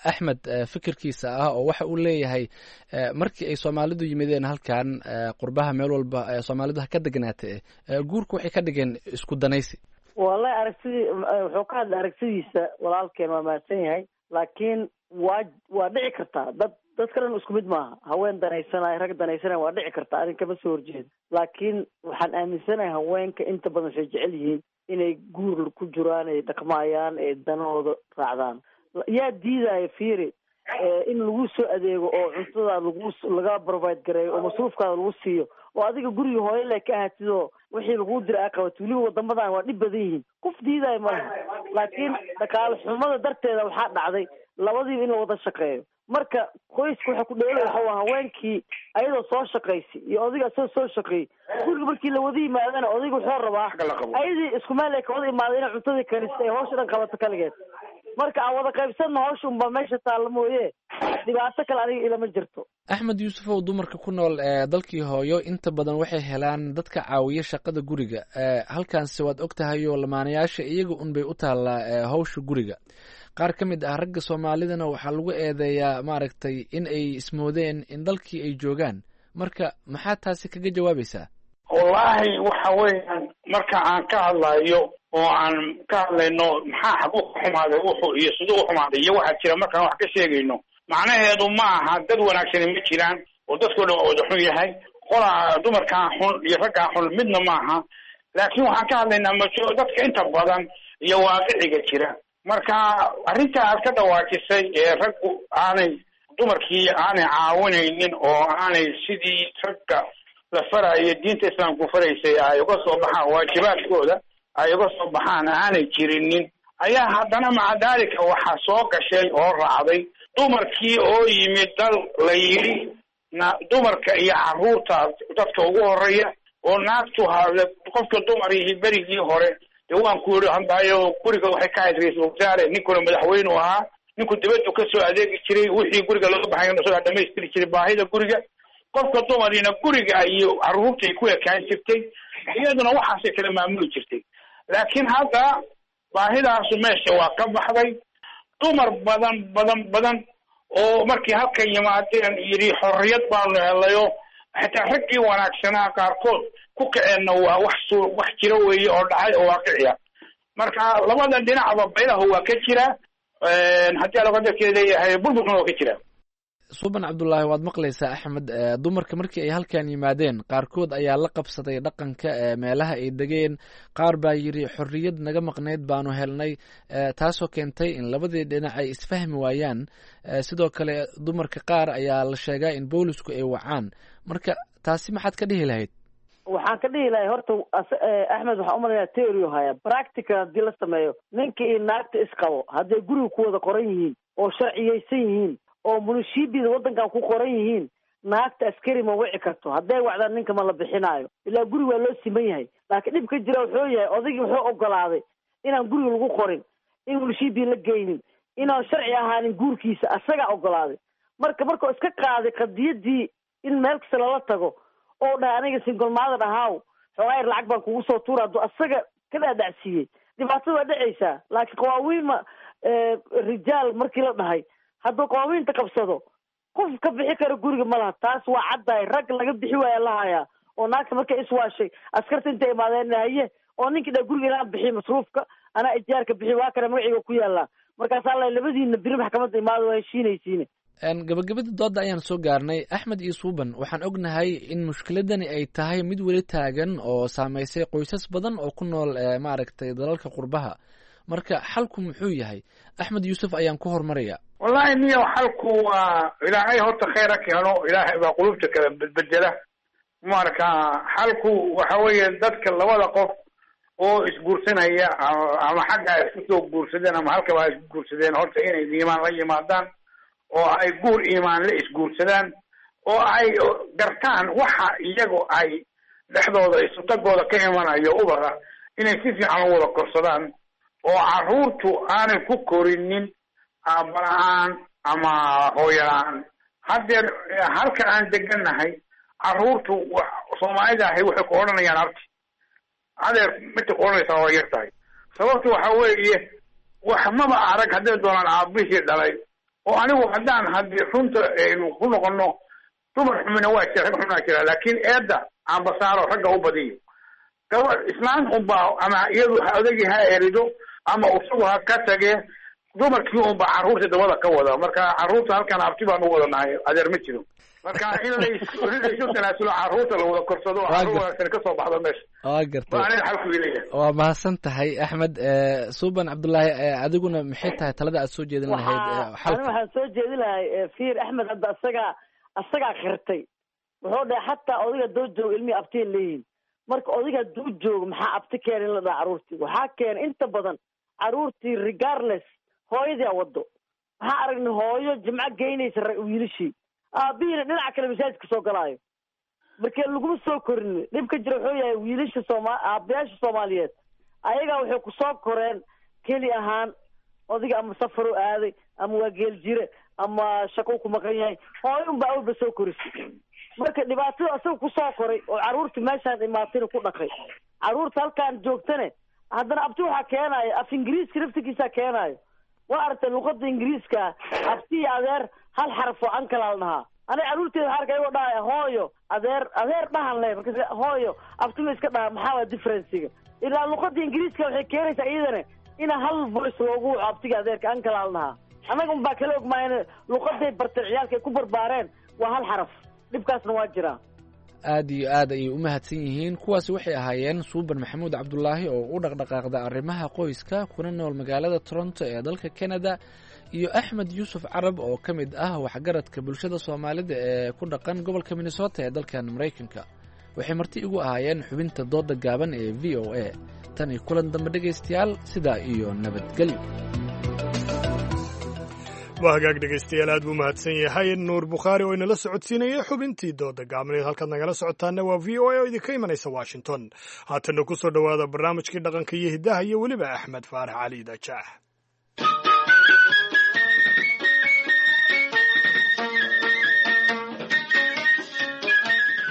Axmed fikirkiisa ah oo waxa uu leeyahay markii ay Soomaalidu yimideen halkan qurbaha, meel walba Soomaalidu ha ka degnaatee, guurku waxay ka dhigeen isku danaysi? Wallahi aragtidii wuxuu ka hadlay aragtidiisa walaalkeen, waa mahadsan yahay, laakiin waa dhici kartaa dadka dhan isku mid maaha. Haween danaysanaya, rag danaysanaya waa dhici kartaa, arrin kama soo horjeedo, laakiin waxaan aaminsanahay haweenka inta badan waxay jecel yihiin inay guur ku jiraan, ay dhaqmaayaan, ay danahooda raacdaan. Yaa diidaya? Fiiri, in lagu soo adeego oo cuntada lagu laga provide gareeyo oo masruufkaada lagu siiyo oo adiga guriga hooyo le ka ahaatid oo Wixii laguu dira aa qabato. Weliba wadamadan waa dhib badan yihiin, qof diidayo malaha, laakiin dhaqaale xumada darteeda waxaa dhacday labadiiba in la wada shaqeeyo. Marka qoyska waxa ku dheelay waxa waa haweenkii ayadoo soo shaqaysay iyo odayga asagoo soo shaqeeyey. Guriga markii la wada yimaadana, odayga wuxuu rabaa ayadii isku meel ay ka wada imaaday inay cuntadii karista, ay hawsha dhan qabato kaligeed. Marka aan wada qaybsanno hawsha unbaa meesha taalla mooye, dhibaato kale aniga ilama jirto. Axmed Yuusufow, dumarka ku nool ee dalkii hooyo inta badan waxay helaan dadka caawiya shaqada guriga. Halkaanse waad og tahay oo lamaanayaasha iyaga unbay u taallaa hawsha guriga. Qaar ka mid ah ragga Soomaalidana waxaa lagu eedeeyaa, maaragtay, in ay ismoodeen in dalkii ay joogaan. Marka maxaa taasi kaga jawaabaysaa? Wallaahi, waxa weeyaan, marka aan ka hadlayo oo aan ka hadlayno maxaa xaguu ka xumaaday wuxuu iyo siduu u xumaaday iyo waxaa jira, markaan wax ka sheegayno, macnaheedu ma aha dad wanaagsani ma jiraan oo dadkoo dhan waa wada xun yahay, qolaa dumarkaa xun iyo raggaa xun midna maaha. Laakiin waxaan ka hadlaynaa majo dadka inta badan iyo waaqiciga jira. Marka arrinta aad ka dhawaajisay ee raggu aanay dumarkii aanay caawinaynin oo aanay sidii ragga la faraayo, diinta islaamku faraysay, ay uga soo baxaan waajibaadkooda, ay uga soo baxaan aanay jirinin, ayaa haddana maca daalika waxaa soo gashay oo raacday dumarkii oo yimid dal la yidhi na dumarka iyo carruurta dadka ugu horeeya oo naagtu hale qofka dumar yihi. Berigii hore dee waan ku yidhi handaayo, guriga waxay ka ahayd ra-iisul wasaare, ninkuna madaxweynu ahaa, ninku dibaddu kasoo adeegi jiray, wixii guriga loo baxay isagaa dhamaystiri jiray baahida guriga. Qofka dumarina guriga iyo carruurtay ku ekaan jirtay, iyaduna waxaasay kala maamuli jirtay. Laakiin hadda baahidaasu meesha waa ka baxday. Dumar badan badan badan oo markii halkan yimaadeen yidhi xorriyad baanu helayo, xitaa raggii wanaagsanaa qaarkood ku kaceenna, waa wax su wax jira weeye oo dhacay oo waaqiciya. Marka labada dhinacba baylahu waa ka jira, haddii alaqadarkeeda leeyahay, burburkuna waa ka jira. Suuban Cabdullaahi, waad maqlaysaa Axmed. Dumarka markii ay halkan yimaadeen, qaarkood ayaa la qabsaday dhaqanka meelaha ay degeen. Qaar baa yidhi xorriyad naga maqnayd baanu helnay, taasoo keentay in labadii dhinac ay isfahmi waayaan. Sidoo kale dumarka qaar ayaa la sheegaa in boolisku ay wacaan. Marka taasi maxaad ka dhihi lahayd? Waxaan ka dhihi lahay, horta Axmed waxaan umalayaa theory haya. Practical haddii la sameeyo, ninka iyo naagta isqabo hadday guriga ku wada qoran yihiin oo sharciyeysan yihiin oo munishibida waddankan ku qoran yihiin, naagta askari ma wici karto. Hadday wacdaan, ninka ma la bixinaayo, ilaa guriga waa loo siman yahay. Laakiin dhibka jira wuxuu yahay, odaygii wuxuu ogolaaday inaan guriga lagu qorin, in munishibi la geynin, inaan sharci ahaanin guurkiisa, asagaa ogolaaday. Marka markuu iska qaaday qadiyadii in meel kasta lala tago oo dhahay aniga single mother ahaaw, xoogaa yar lacag baan kugu soo tuura, hadduu asaga ka dhaadhacsiiyey, dhibaatada waa dhacaysaa. Laakiin qawaawiinma rijaal markii la dhahay, hadduu qawaawiinta qabsado, qof ka bixi karo guriga ma laha. Taas waa caddahay. Rag laga bixi waaya lahayaa oo naagta markay iswaashay askarta intay imaadeen haye, oo ninkii dha guriga inaan bixiy masruufka, anaa ijaarka bixi, waa kana magaciiga ku yaallaa. Markaasaa la labadiina biri maxkamadda imaada, waa heshiinaysiine. Gabagabada dooda ayaan soo gaarnay. Axmed iyo Suuban, waxaan ognahay in mushkiladani ay tahay mid weli taagan oo saameysay qoysas badan oo ku nool, maaragtay, dalalka qurbaha. Marka xalku muxuu yahay? Axmed Yuusuf ayaan ku hormaraya. Wallahi niyo, xalku waa Ilaahay horta khayr ha keeno. Ilaahay baa qulubta kala bedbedela. Marka xalku waxa weeye, dadka labada qof oo isguursanaya, ama xagga ay isku soo guursadeen ama halkaba ay isku guursadeen, horta inay iimaan la yimaadaan oo ay guur iimaan la isguursadaan oo ay gartaan waxa iyagu ay dhexdooda isutagooda ka imanayo ubada inay si fiican u wada korsadaan oo carruurtu aanay ku korinin aabba la-aan ama hooyo la-aan. Haddeer halka aan degannahay, carruurtu Soomaalida ahi waxay ku odhanayaan abti, adeer. Midta ku odhanaysaa waa yar tahay. Sababtu waxa weeye, wax maba arag hadday doonaan aabihii dhalay. Oo anigu haddaan haddii runta aynu ku noqono, dumar xumina waa jira, rag xumina jira, laakiin eedda aanbasaaro ragga u badiyo. Gabadh islaan unbaa ama iyadu odagii ha erido ama isagu ha ka tagee, dumarkii unbaa carruurta dabada ka wada. Marka carruurta halkan abti baan u wadanahay, adeer ma jiro. Marka in laysu tanaasulo, carruurta la wada korsado, carruur wanaagsan kasoo baxdo meesha. Waa gartay. Waa aniga xalku ileeyahay. Waa mahadsan tahay, Axmed. Suuban Cabdullaahi, adiguna maxay tahay talada aad soo jeedin lahayd? Xalka ani waxaan soo jeedin lahay, fiir, Axmed hadda asagaa khirtay. Wuxuu dhahay xataa odayga doo jooga ilmihii abtiya leeyihin. Marka odayga hadduu joogo maxaa abti keena in la dhaha carruurtii? Waxaa keena inta badan carruurtii regardless hooyadii a wado. Waxaa aragnay hooyo jimco geynaysa wiilashii, aabihiina dhinaca kale masaajidka soo galaayo. Marka laguma soo korin. Dhibka jira wuxuu yahay wiilasha sooma aabayaasha Soomaaliyeed ayagaa waxay kusoo koreen keli ahaan odayga ama safaru aaday ama waa geel jire ama shaqou ku maqan yahay, hooyo unbaa awalba soo korisay. Marka dhibaatada asaga kusoo koray oo carruurta meeshaan imaatayna ku dhaqay, carruurta halkaan joogtane haddana abti waxaa keenaayo af ingiriiska naftigiisaa keenaayo. Waa aragtay luqada ingiriiska abti iyo adeer hal xaraf oo ankalaa la dhahaa. Aniga carruurteeda waxaa arkay ayagoo dhahaya hooyo adeer, adeer dhahan leh. Markas hooyo abti ma iska dhaha, maxaa waa differencega? Ilaa luqada ingiriiska waxay keenaysaa iyadana ina hal voice loogu waco abtiga adeerka ankalaa la dhahaa. Annaga unbaa kala ogmaayeen luqaday barteen ciyaalka ay ku barbaareen waa hal xaraf. Dhibkaasna waa jiraa. Aad iyo aad ayay u mahadsan yihiin. Kuwaasi waxay ahaayeen Suuban Maxamuud Cabdulaahi oo u dhaqdhaqaaqda arrimaha qoyska kuna nool magaalada Toronto ee dalka Canada, iyo Axmed Yuusuf Carab oo ka mid ah waxgaradka bulshada Soomaalida ee ku dhaqan gobolka Minnesota ee dalkan Maraykanka. Waxay marti igu ahaayeen xubinta dooda gaaban ee VOA. Tan iyo kulan dambe dhegaystayaal, sidaa iyo nabadgelyo. Waa hagaag dhegaystayaal, aad buu mahadsan yahay Nuur Bukhaari oo inala socodsiinayay xubintii dooda gaabneed. Halkaad nagala socotaana waa VOA oo idinka imanaysa Washington. Haatanna ku soo dhowaada barnaamijkii dhaqanka iyo hiddaha iyo weliba Axmed Faarax Cali Dajax.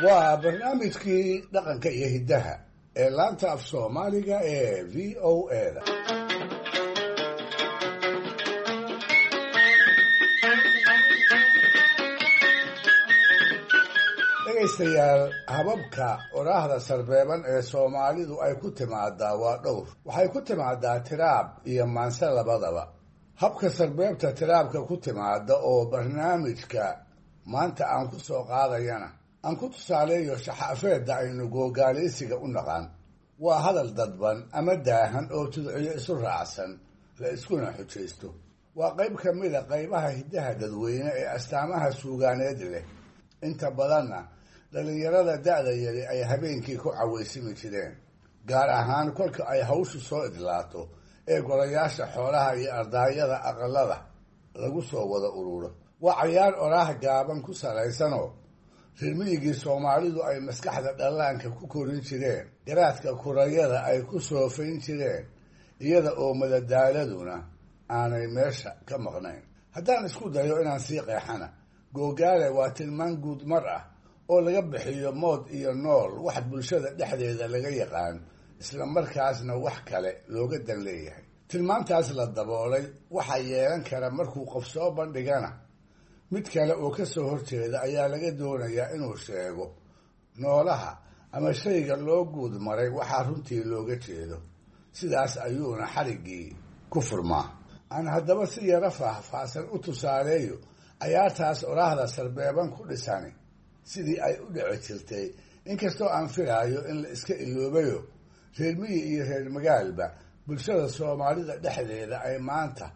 Waa barnaamijkii dhaqanka iyo hiddaha ee laanta af Soomaaliga ee VOA da. Dhegaystayaal, hababka oraahda sarbeeban ee Soomaalidu ay ku timaadaa waa dhowr. Waxay ku timaadaa tiraab iyo maanse labadaba. Habka sarbeebta tiraabka ku timaada oo barnaamijka maanta aan ku soo qaadayana aan ku tusaaleeyo shaxaafeedda aynu googaalaysiga u naqaan. Waa hadal dadban ama daahan oo tudciyo isu raacsan la iskuna xujaysto. Waa qayb ka mida qaybaha hiddaha dadweyne ee astaamaha suugaaneed leh. Inta badanna dhallinyarada da'da yari ay habeenkii ku cawaysimi jireen, gaar ahaan kolka ay hawshu soo idlaato ee golayaasha xoolaha iyo ardaayada aqalada lagu soo wada ururo. Waa cayaar oraah gaaban ku salaysanoo reermiyigii Soomaalidu ay maskaxda dhallaanka ku korin jireen, garaadka kurayada ay ku soofayn jireen, iyada oo madadaaladuna aanay meesha ka maqnayn. Haddaan isku dayo inaan sii qeexana, googaale waa tilmaan guud mar ah oo laga bixiyo mood iyo nool wax bulshada dhexdeeda laga yaqaan, isla markaasna wax kale looga dan leeyahay. Tilmaantaas la daboolay waxaa yeelan kara markuu qof soo bandhigana mid kale oo ka soo horjeeda ayaa laga doonayaa inuu sheego noolaha ama shayga loo guud maray waxaa runtii looga jeedo. Sidaas ayuuna xariggii ku furmaa. Aan haddaba si yaro faahfaahsan u tusaaleeyo cayaartaas oraahda sarbeeban ku dhisani sidii ay u dhici jirtay, inkastoo aan filaayo in la iska iloobayo reer miyi iyo reer magaalba bulshada Soomaalida dhexdeeda ay maanta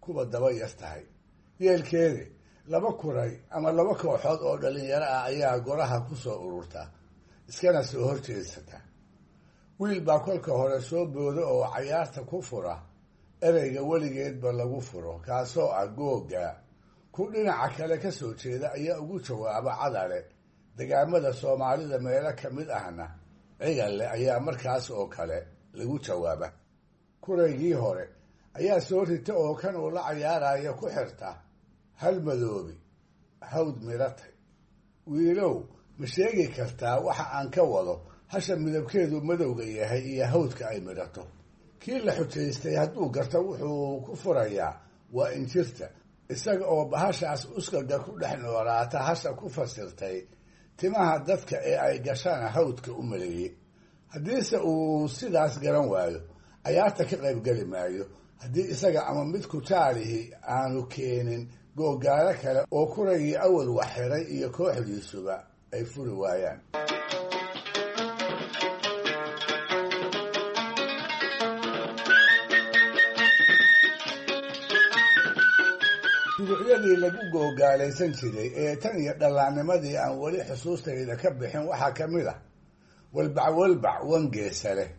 kuwa daba yar tahay. Yeelkeedi, laba kuray ama laba kooxood oo dhallinyaro ah ayaa goraha ku soo ururta iskana soo horjeedsata. Wiil baa kolka hore soo booda oo cayaarta ku fura ereyga weligeedba lagu furo, kaasoo ah googa. Ku dhinaca kale ka soo jeeda ayaa ugu jawaaba cadale. Degaamada Soomaalida meelo ka mid ahna cigalle ayaa markaas oo kale lagu jawaaba. Kuraygii hore ayaa soo rita oo kan uu la cayaaraya ku xirta hal madoobi hawd miratay. Wiilow, ma sheegi kartaa waxa aan ka wado hasha midabkeedu madowga yahay iyo hawdka ay midhato? Kii la xujaystay hadduu garto wuxuu ku furayaa waa injirta, isaga oo bahashaas uskaga ku dhex noolaata hasha ku fasirtay timaha dadka ee ay gashana hawdka u maleeyey. Haddiise uu sidaas garan waayo, cayaarta ka qaybgeli maayo haddii isaga ama mid kutaalihi aanu keenin googaalo kale oo kuragii awal wax xiray iyo kooxdiisuba ay furi waayaan. Duducyadii lagu googaalaysan jiray ee tan iyo dhallaannimadii aan weli xusuustayda ka bixin waxaa ka mid ah Walbac walbac wangeesa leh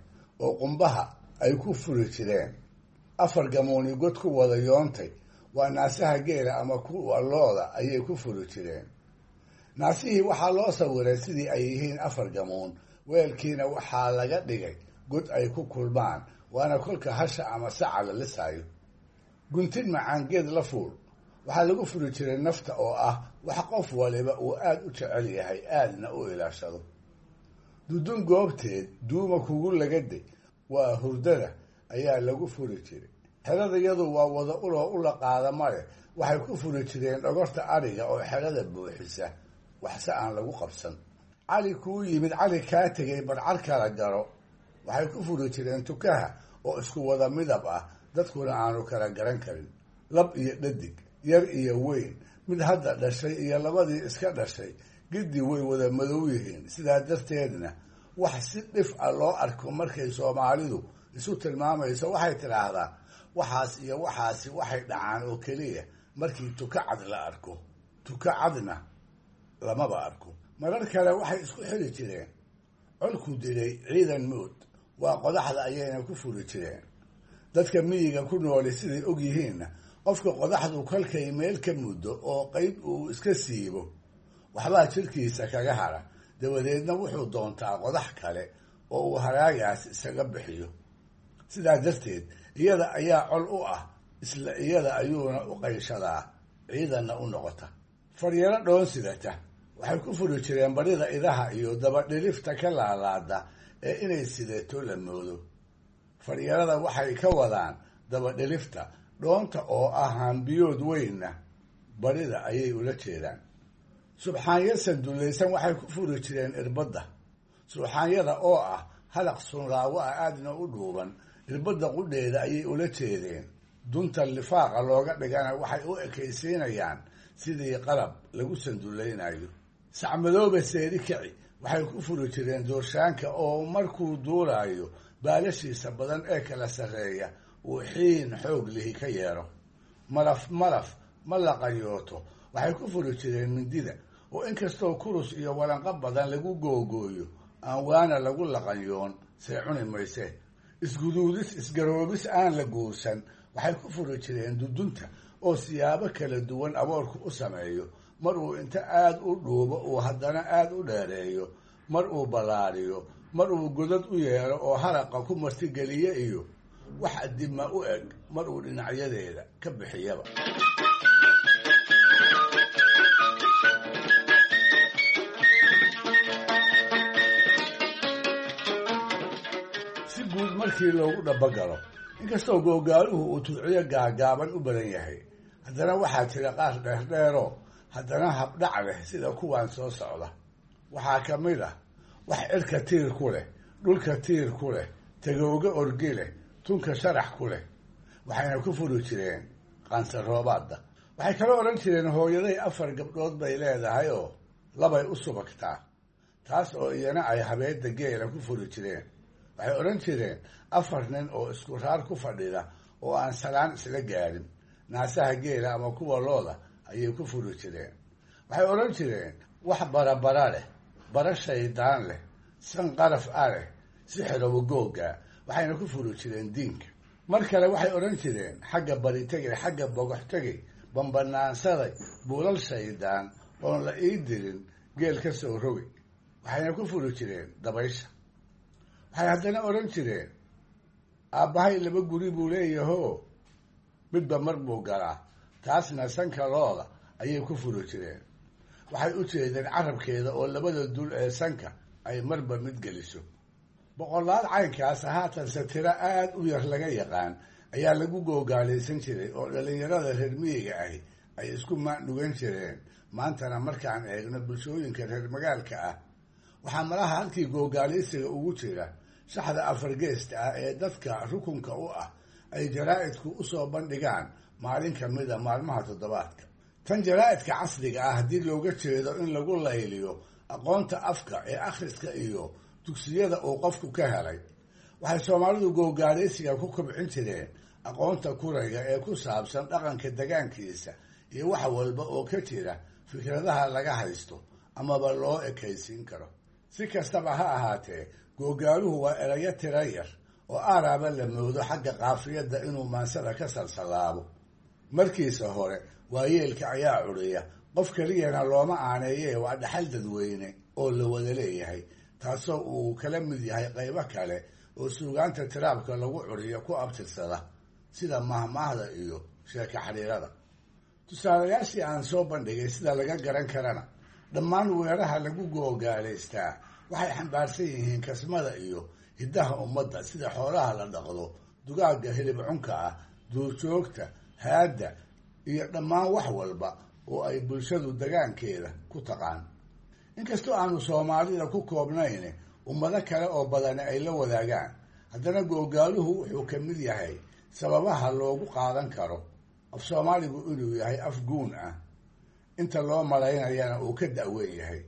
oo qumbaha ay ku furi jireen. Afar gamuuni god ku wada yoontay waa naasaha geela ama kuwa looda ayay ku furi jireen. Naasihii waxaa loo sawiray sidii ay yihiin afar gamuun, weelkiina waxaa laga dhigay god ay ku kulmaan, waana kolka hasha ama saca la lisaayo. Guntin macaan geed la fuul waxaa lagu furi jiray nafta oo ah wax qof waliba uu aada u jecel yahay aadna u ilaashado. Dudun goobteed duuma kugu lagaday waa hurdada ayaa lagu furi jiray. Xerada iyadu waa wada uloo ula qaada male, waxay ku furi jireen dhogorta adhiga oo xerada buuxisa, waxse aan lagu qabsan. Cali kuu yimid cali kaa tegay barcar kala garo waxay ku furi jireen tukaha oo isku wada midab ah, dadkuna aanu kala garan karin. Lab iyo dhadig, yar iyo weyn, mid hadda dhashay iyo labadii iska dhashay, giddi way wada madow yihiin. Sidaa darteedna wax si dhif ah loo arko markay Soomaalidu isu tilmaamayso waxay tidhaahdaa waxaas iyo waxaasi waxay dhacaan oo keliya markii tuka cad la arko, tuka cadna lamaba arko. Marar kale waxay isku xiri jireen colku dilay ciidan mood, waa qodaxda ayayna ku furi jireen. Dadka miyiga ku nooli siday og yihiinna, qofka qodaxdu kolkay meel ka muddo oo qayb uu iska siibo, waxbaa jirkiisa kaga hara, dabadeedna wuxuu doontaa qodax kale oo uu haraagaas isaga bixiyo. Sidaa darteed iyada ayaa col u ah, isla iyada ayuuna u qayshadaa, ciidanna u noqota. Faryaro dhoon sidata waxay ku furi jireen barida idaha iyo dabadhilifta ka laalaada ee inay sidato la moodo. Faryarada waxay ka wadaan dabadhilifta, dhoonta oo ah hambiyood weynna barida ayay ula jeedaan. Subxaanyo sandulaysan waxay ku furi jireen irbadda. Subxaanyada oo ah halaq sunraawo ah aadna u dhuuban, irbadda qudheeda ayay ula jeedeen. Dunta lifaaqa looga dhigana waxay u ekaysiinayaan sidii qalab lagu sandulaynayo. Sacmadoobe seeri kici waxay ku furi jireen doorshaanka oo markuu duulaayo baalashiisa badan ee kala sarreeya uu xiin xoog lihi ka yeero. Maraf maraf ma laqanyooto waxay ku furi jireen mindida oo inkastoo kurus iyo walanqo badan lagu googooyo aan waana lagu laqanyoon, see cuni mayse. Isguduudis isgaroobis aan la guursan waxay ku furi jireen dudunta oo siyaabo kala duwan aboorku u sameeyo. Mar uu inta aada u dhuubo uu haddana aada u dheereeyo, mar uu ballaariyo, mar uu godad u yeelo oo haraqa ku martigeliye iyo wax adima u eg mar uu dhinacyadeeda ka bixiyaba. Si guud markii loogu dhabagalo, inkastoo googaaluhu uu tudciyo gaagaaban u badan yahay, haddana waxaa jira qaar dheerdheeroo haddana habdhac leh sida kuwan soo socda. Waxaa ka mid ah wax cirka tiir ku leh, dhulka tiir ku leh, tagooga orgi leh, tunka sharax ku leh, waxayna ku furi jireen qansaroobaadda. Waxay kala odhan jireen hooyaday 4 gabdhood bay leedahay oo labay u subagtaa, taas oo iyana ay habeedda geela ku furi jireen. Waxay odhan jireen 4 nin oo isku raar ku fadhida oo aan salaan isla gaarin, naasaha geela ama kuwa looda ayay ku furi jireen. Waxay odhan jireen wax barabara leh, bara shaydaan leh, san qaraf a leh, si xirobo googa, waxayna ku furi jireen diinka. Mar kale waxay odhan jireen xagga bari tegay, xagga bogox tegay, bambanaansaday, buulal shaydaan oon la ii dirin, geel ka soo rogay, waxayna ku furi jireen dabaysha. Waxay haddana odhan jireen aabbahay 2 guri buu leeyahoo midba mar buu galaa, taasna sanka looda ayay ku furi jireen. Waxay u jeedeen carabkeeda oo labada dul ee sanka ay marba mid geliso. Boqolaal caynkaas haatanse tiro aad u yar laga yaqaan ayaa lagu googaalaysan jiray oo dhallinyarada reer miyiga ahi ay isku maandhugan jireen. Maantana markaan eegno bulshooyinka reer magaalka ah, waxaa malaha halkii googaalaysiga ugu jira shaxda afargeesta ah ee dadka rukunka u ah ay jaraa'idku u soo bandhigaan maalin ka mida maalmaha toddobaadka. Tan jaraa'idka casriga ah haddii looga jeedo in lagu layliyo aqoonta afka ee akhriska iyo dugsiyada uu qofku ka helay, waxay Soomaalidu googaalaysiga ku kobcin jireen aqoonta kurayga ee ku saabsan dhaqanka degaankiisa iyo wax walba oo ka jira fikradaha laga haysto amaba loo ekaysiin karo. Si kastaba ha ahaatee, googaaluhu waa erayo tira yar oo aaraaba la moodo xagga qaafiyadda inuu maansada ka salsalaabo. Markiisa hore waayeelka ayaa curiya, qof keliyana looma aaneeyee waa dhaxal dadweyne oo la wada leeyahay, taasoo uu kala mid yahay qaybo kale oo suugaanta tiraabka lagu curiyo ku abtirsada, sida mahmaahda iyo sheeko xariirada. Tusaalayaashii aan soo bandhigay sida laga garan karana, dhammaan weeraha lagu googaalaystaa waxay xambaarsan yihiin kasmada iyo hiddaha ummadda, sida xoolaha la dhaqdo, dugaagga hilib cunka ah, duurjoogta, haadda iyo dhammaan wax walba oo ay bulshadu dagaankeeda ku taqaan. Inkastoo aanu soomaalida ku koobnayn, ummado kale oo badani ay la wadaagaan, haddana googaaluhu wuxuu ka mid yahay sababaha loogu qaadan karo af soomaaligu inuu yahay af guun ah, inta loo malaynayana uu ka da'weyn yahay,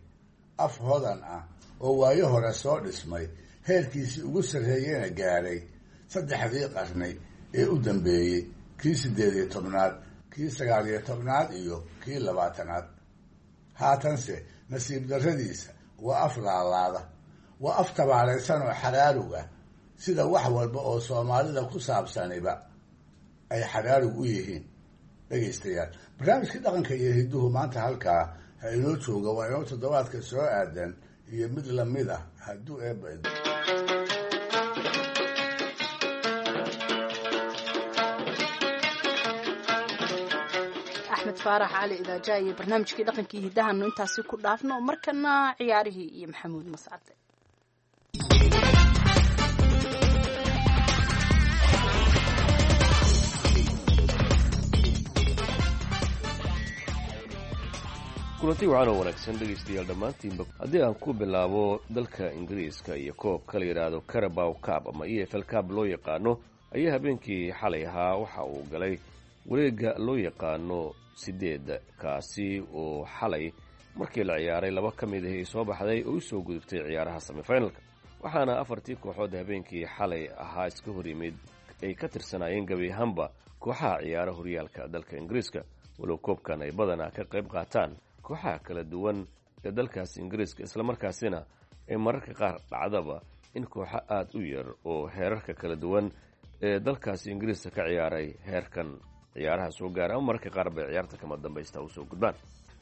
af hodan ah oo waayo hore soo dhismay, heerkiisii ugu sarreeyena gaadhay saddexdii qarni ee u dambeeyey, kii 18aad, kii 19aad iyo kii 20aad. Haatanse nasiib darradiisa waa af laalaada, waa af tabaalaysan oo xaraarug ah, sida wax walba oo soomaalida ku saabsaniba ay xaraarug u yihiin. Dhegaystayaal, barnaamijkii dhaqanka iyo hidduhu maanta halkaa ha inoo jooga. Waa inoo toddobaadka soo aadan iyo mid lamid ah hadduu eebba. Axmed Faarax Cali Idaaja iyo barnaamijkii dhaqankii hiddahanu intaasi ku dhaafno. Markana ciyaarihii iyo Maxamuud Mascade. Kulanti wacan oo wanaagsan dhegaystayaal dhammaantiinba. Haddii aan ku bilaabo dalka Ingiriiska iyo koobka la yidhaahdo Carabow Cup ama EFL Cup loo yaqaano, ayaa habeenkii xalay ahaa waxa uu galay wareegga loo yaqaano sideedda, kaasi oo xalay markii la ciyaaray laba ka mid ahi ay soo baxday oo u soo gudubtay ciyaaraha semifinalka. Waxaana afartii kooxood habeenkii xalay ahaa iska hor yimid ay ka tirsanaayeen gebi ahaanba kooxaha ciyaara horyaalka dalka Ingiriiska, walow koobkan ay badanaa ka qayb qaataan kooxaha kala duwan ee dalkaas Ingiriiska, islamarkaasina ay mararka qaar dhacdaba in kooxo aada u yar oo heerarka kala duwan ee dalkaasi Ingiriiska ka ciyaaray heerkan ciyaaraha soo gaara, ama mararka qaar bay ciyaarta kama dambaysta usoo gudbaan.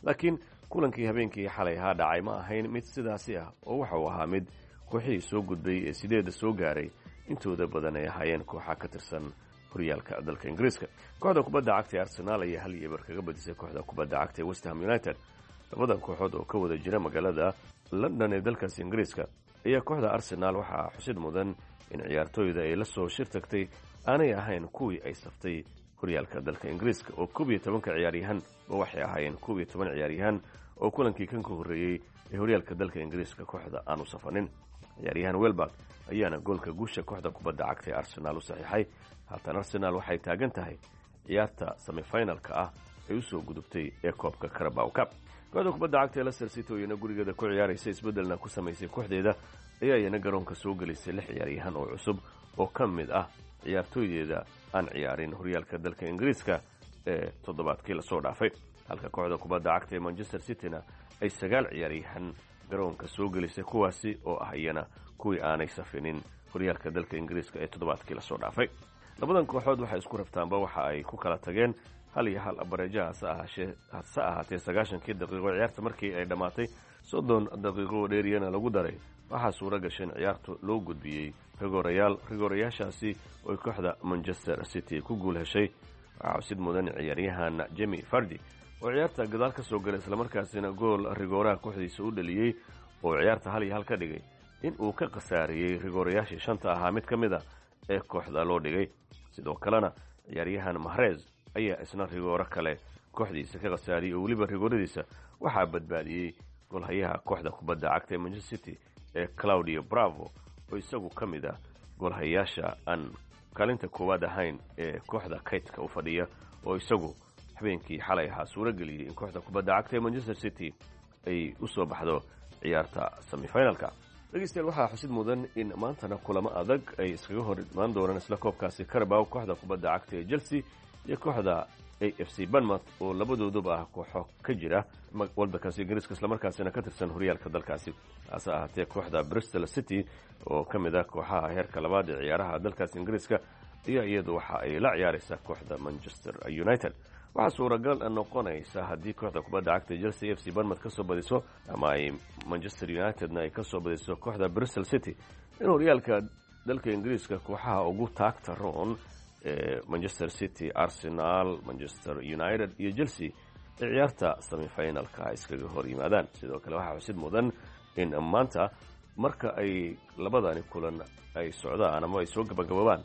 Laakiin kulankii habeenkii xalay ahaa dhacay ma ahayn mid sidaasi ah, oo waxa uu ahaa mid kooxihii soo gudbay ee sideedda soo gaaray intooda badan ay ahaayeen kooxa ka tirsan horyaalka dalka Ingiriiska. Kooxda kubadda cagta ee Arsenaal ayaa 1-0 kaga badisay kooxda kubadda cagta ee Westham United. Labadan kooxood oo ka wada jira magaalada London ee dalkaasi Ingiriiska ayaa kooxda Arsenaal waxaa xusid mudan in ciyaartooyda ay la soo shir tagtay aanay ahayn kuwii ay saftay horyaalka dalka Ingiriiska, oo 11-ka ciyaaryahan ba waxay ahaayeen 11 ciyaaryahan oo kulankii kan ka horreeyey ee horyaalka dalka Ingiriiska kooxda aanu safanin. Ciyaaryahan Welberg ayaana goolka guusha kooxda kubadda cagta ee Arsenaal u saxiixay. Haatan Arsenaal waxay taagan tahay ciyaarta semifinalka ah ay usoo gudubtay ee koobka Carabow Cup. Kooxda kubadda cagta ee Leicester City oo iyana gurigeeda ku ciyaaraysa, isbeddelna ku samaysay kooxdeeda, ayaa iyana garoonka soo gelisay lix ciyaaryahan oo cusub oo ka mid ah ciyaartooydeeda aan ciyaarin horyaalka dalka Ingiriiska ee toddobaadkii lasoo dhaafay, halka kooxda kubadda cagta ee Manchester Cityna ay sagaal ciyaaryahan garoonka soo gelisay, kuwaasi oo ah iyana kuwii aanay safinin horyaalka dalka Ingiriiska ee toddobaadkii lasoo dhaafay. Labadan kooxood waxay isku raftaanba waxa ay ku kala tageen 1-1 bareejaha. Hase ahaatee 90-kii daqiiqo ciyaarta markii ay dhammaatay, 30 daqiiqo oo dheeriyana lagu daray, waxaa suura gashay in ciyaartu loo gudbiyey rigoorayaal, rigoorayaashaasi oo kooxda Manchester City ku guul heshay. Waxaa xusid mudan ciyaaryahan Jemi Fardi oo ciyaarta gadaal ka soo galay, islamarkaasina gool rigooraha kooxdiisa u dhaliyey oo ciyaarta 1-1 ka dhigay, in uu ka khasaariyey rigoorayaashii shanta ahaa mid ka mid a ee kooxda loo dhigay. Sidoo kalena ciyaaryahan Mahrez ayaa isna rigooro kale kooxdiisa ka khasaariyey, oo weliba rigooradiisa waxaa badbaadiyey goolhayaha kooxda kubadda cagta ee Manchester City ee Claudio Bravo, oo isagu ka mid ah goolhayaasha aan kaalinta koowaad ahayn ee kooxda kaydka u fadhiya, oo isagu habeenkii xalay ahaa suuro geliyey in kooxda kubadda cagta ee Manchester City ay u soo baxdo ciyaarta semifinalka. Dhegeystayaal, waxaa xusid mudan in maantana kulamo adag ay iskaga hor imaan doonaan isla koobkaasi Carabow, kooxda kubadda cagta ee Chelsea iyo kooxda A F C Bournemouth oo labadooduba ah kooxo ka jira waddankaasi Ingiriiska, islamarkaasina ka tirsan horyaalka dalkaasi. Hase ahaatee kooxda Bristol City oo ka mid ah kooxaha heerka labaad ee ciyaaraha dalkaasi Ingiriiska ayaa iyadu waxa ay la ciyaaraysaa kooxda Manchester United. Waxaa suuragal noqonaysa haddii kooxda kubadda cagta Chelsea F C Bournemouth ka soo badiso ama ay Manchester Unitedna ay ka soo badiso kooxda Bristol City in horyaalka dalka Ingiriiska kooxaha ugu taagta roon ee Manchester City, Arsenal, Manchester United iyo Chelsea ay ciyaarta semifinalka iskaga hor yimaadaan. Sidoo kale waxaa xusid mudan in maanta marka ay labadani kulan ay socdaan ama ay soo gabagaboobaan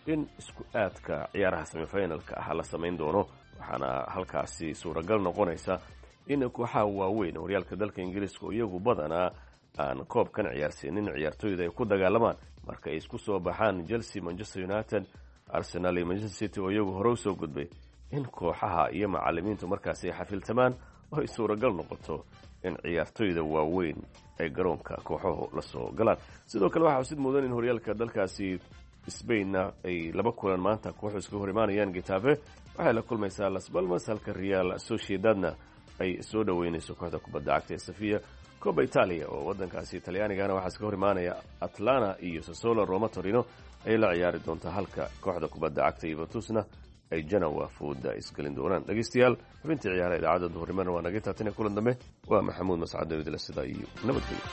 in isku aadka ciyaaraha semifinalka ah la samayn doono, waxaana halkaasi suuragal noqonaysa in kooxaha waaweyn horyaalka dalka Ingiriiska oo iyagu badanaa aan koobkan ciyaarsiinin ciyaartooyda ay ku dagaalamaan marka ay isku soo baxaan Chelsea, Manchester United, Arsenal iyo Manchester City oo iyagu hore usoo gudbay, in kooxaha iyo macalimiintu markaasi ay xafiltamaan oo ay suuragal noqoto in ciyaartooyda waaweyn ay garoonka kooxuhu la soo galaan. Sidoo kale waxaa xusid mudan in horyaalka dalkaasi Sbainna ay laba kulan maanta kooxu iskaga hor imaanayaan. Getafe waxay la kulmaysaa Las Balmas, halka Real Sociedadna ay soo dhoweynayso kooxda kubadda cagta ee Safiya. Coba Italia oo waddankaasi Talyaanigana waxaa iskaga hor imaanaya Atlana iyo Sassuolo. Roma Torino ayay la ciyaari doontaa, halka kooxda kubadda cagta Yuventusna ay Genoa fooda isgelin doonaan. Dhegeystayaal, xubintii ciyaaraha idaacadda duhurnimona waa naga taatina. Kulan dambe waa Maxamuud Mascad Dawidle, sidaa iyo nabadgelyo.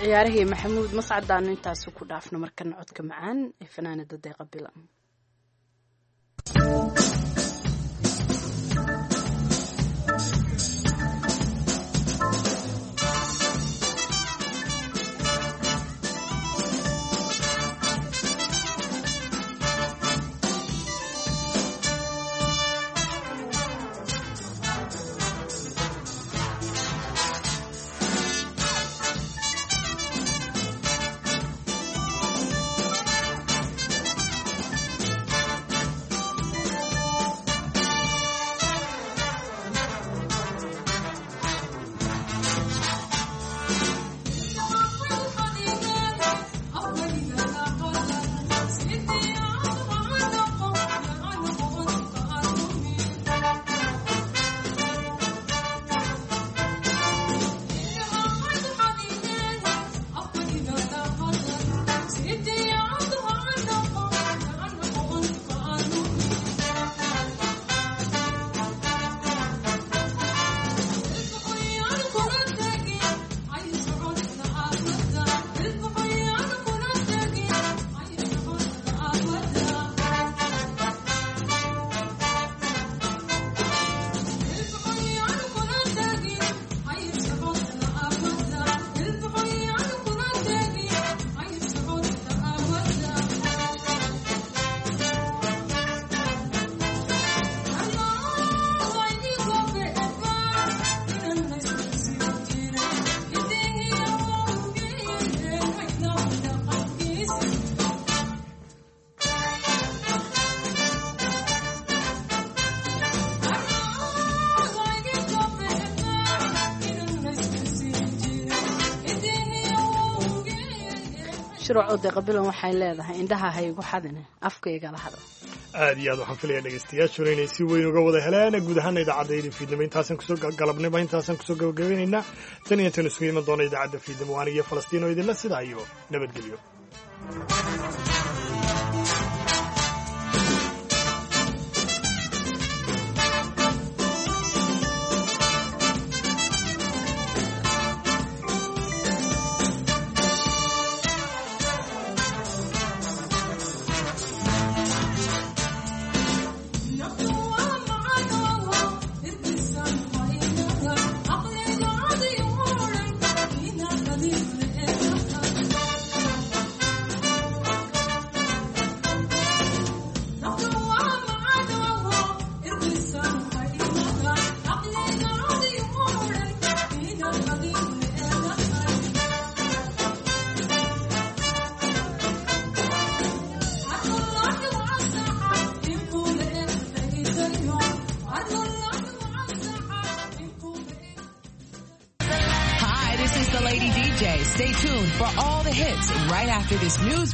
Ciyaarihii Maxamuud Mascadaanu intaasi ku dhaafno. Markana codka macaan ee fanaanada Deeqa Bilan. Shirwaco Deeqa Bilan waxay leedahay indhaha ha igu xadine, afka igala hadal. Aad iyo aad waxaan filaya dhegaystayaashuna inay si weyn uga wada heleen. Guud ahaana idaacadda fiidnimo intaasan kusoo galabnimo intaasan kusoo gabagabeynaynaa. Tan iyo tan isugu iman doona idaacadda fiidnimo, anigiyo Falastiin oo idinla sidaa iyo nabadgelyo. Thank you. Stay tuned for all the hits right after this news break.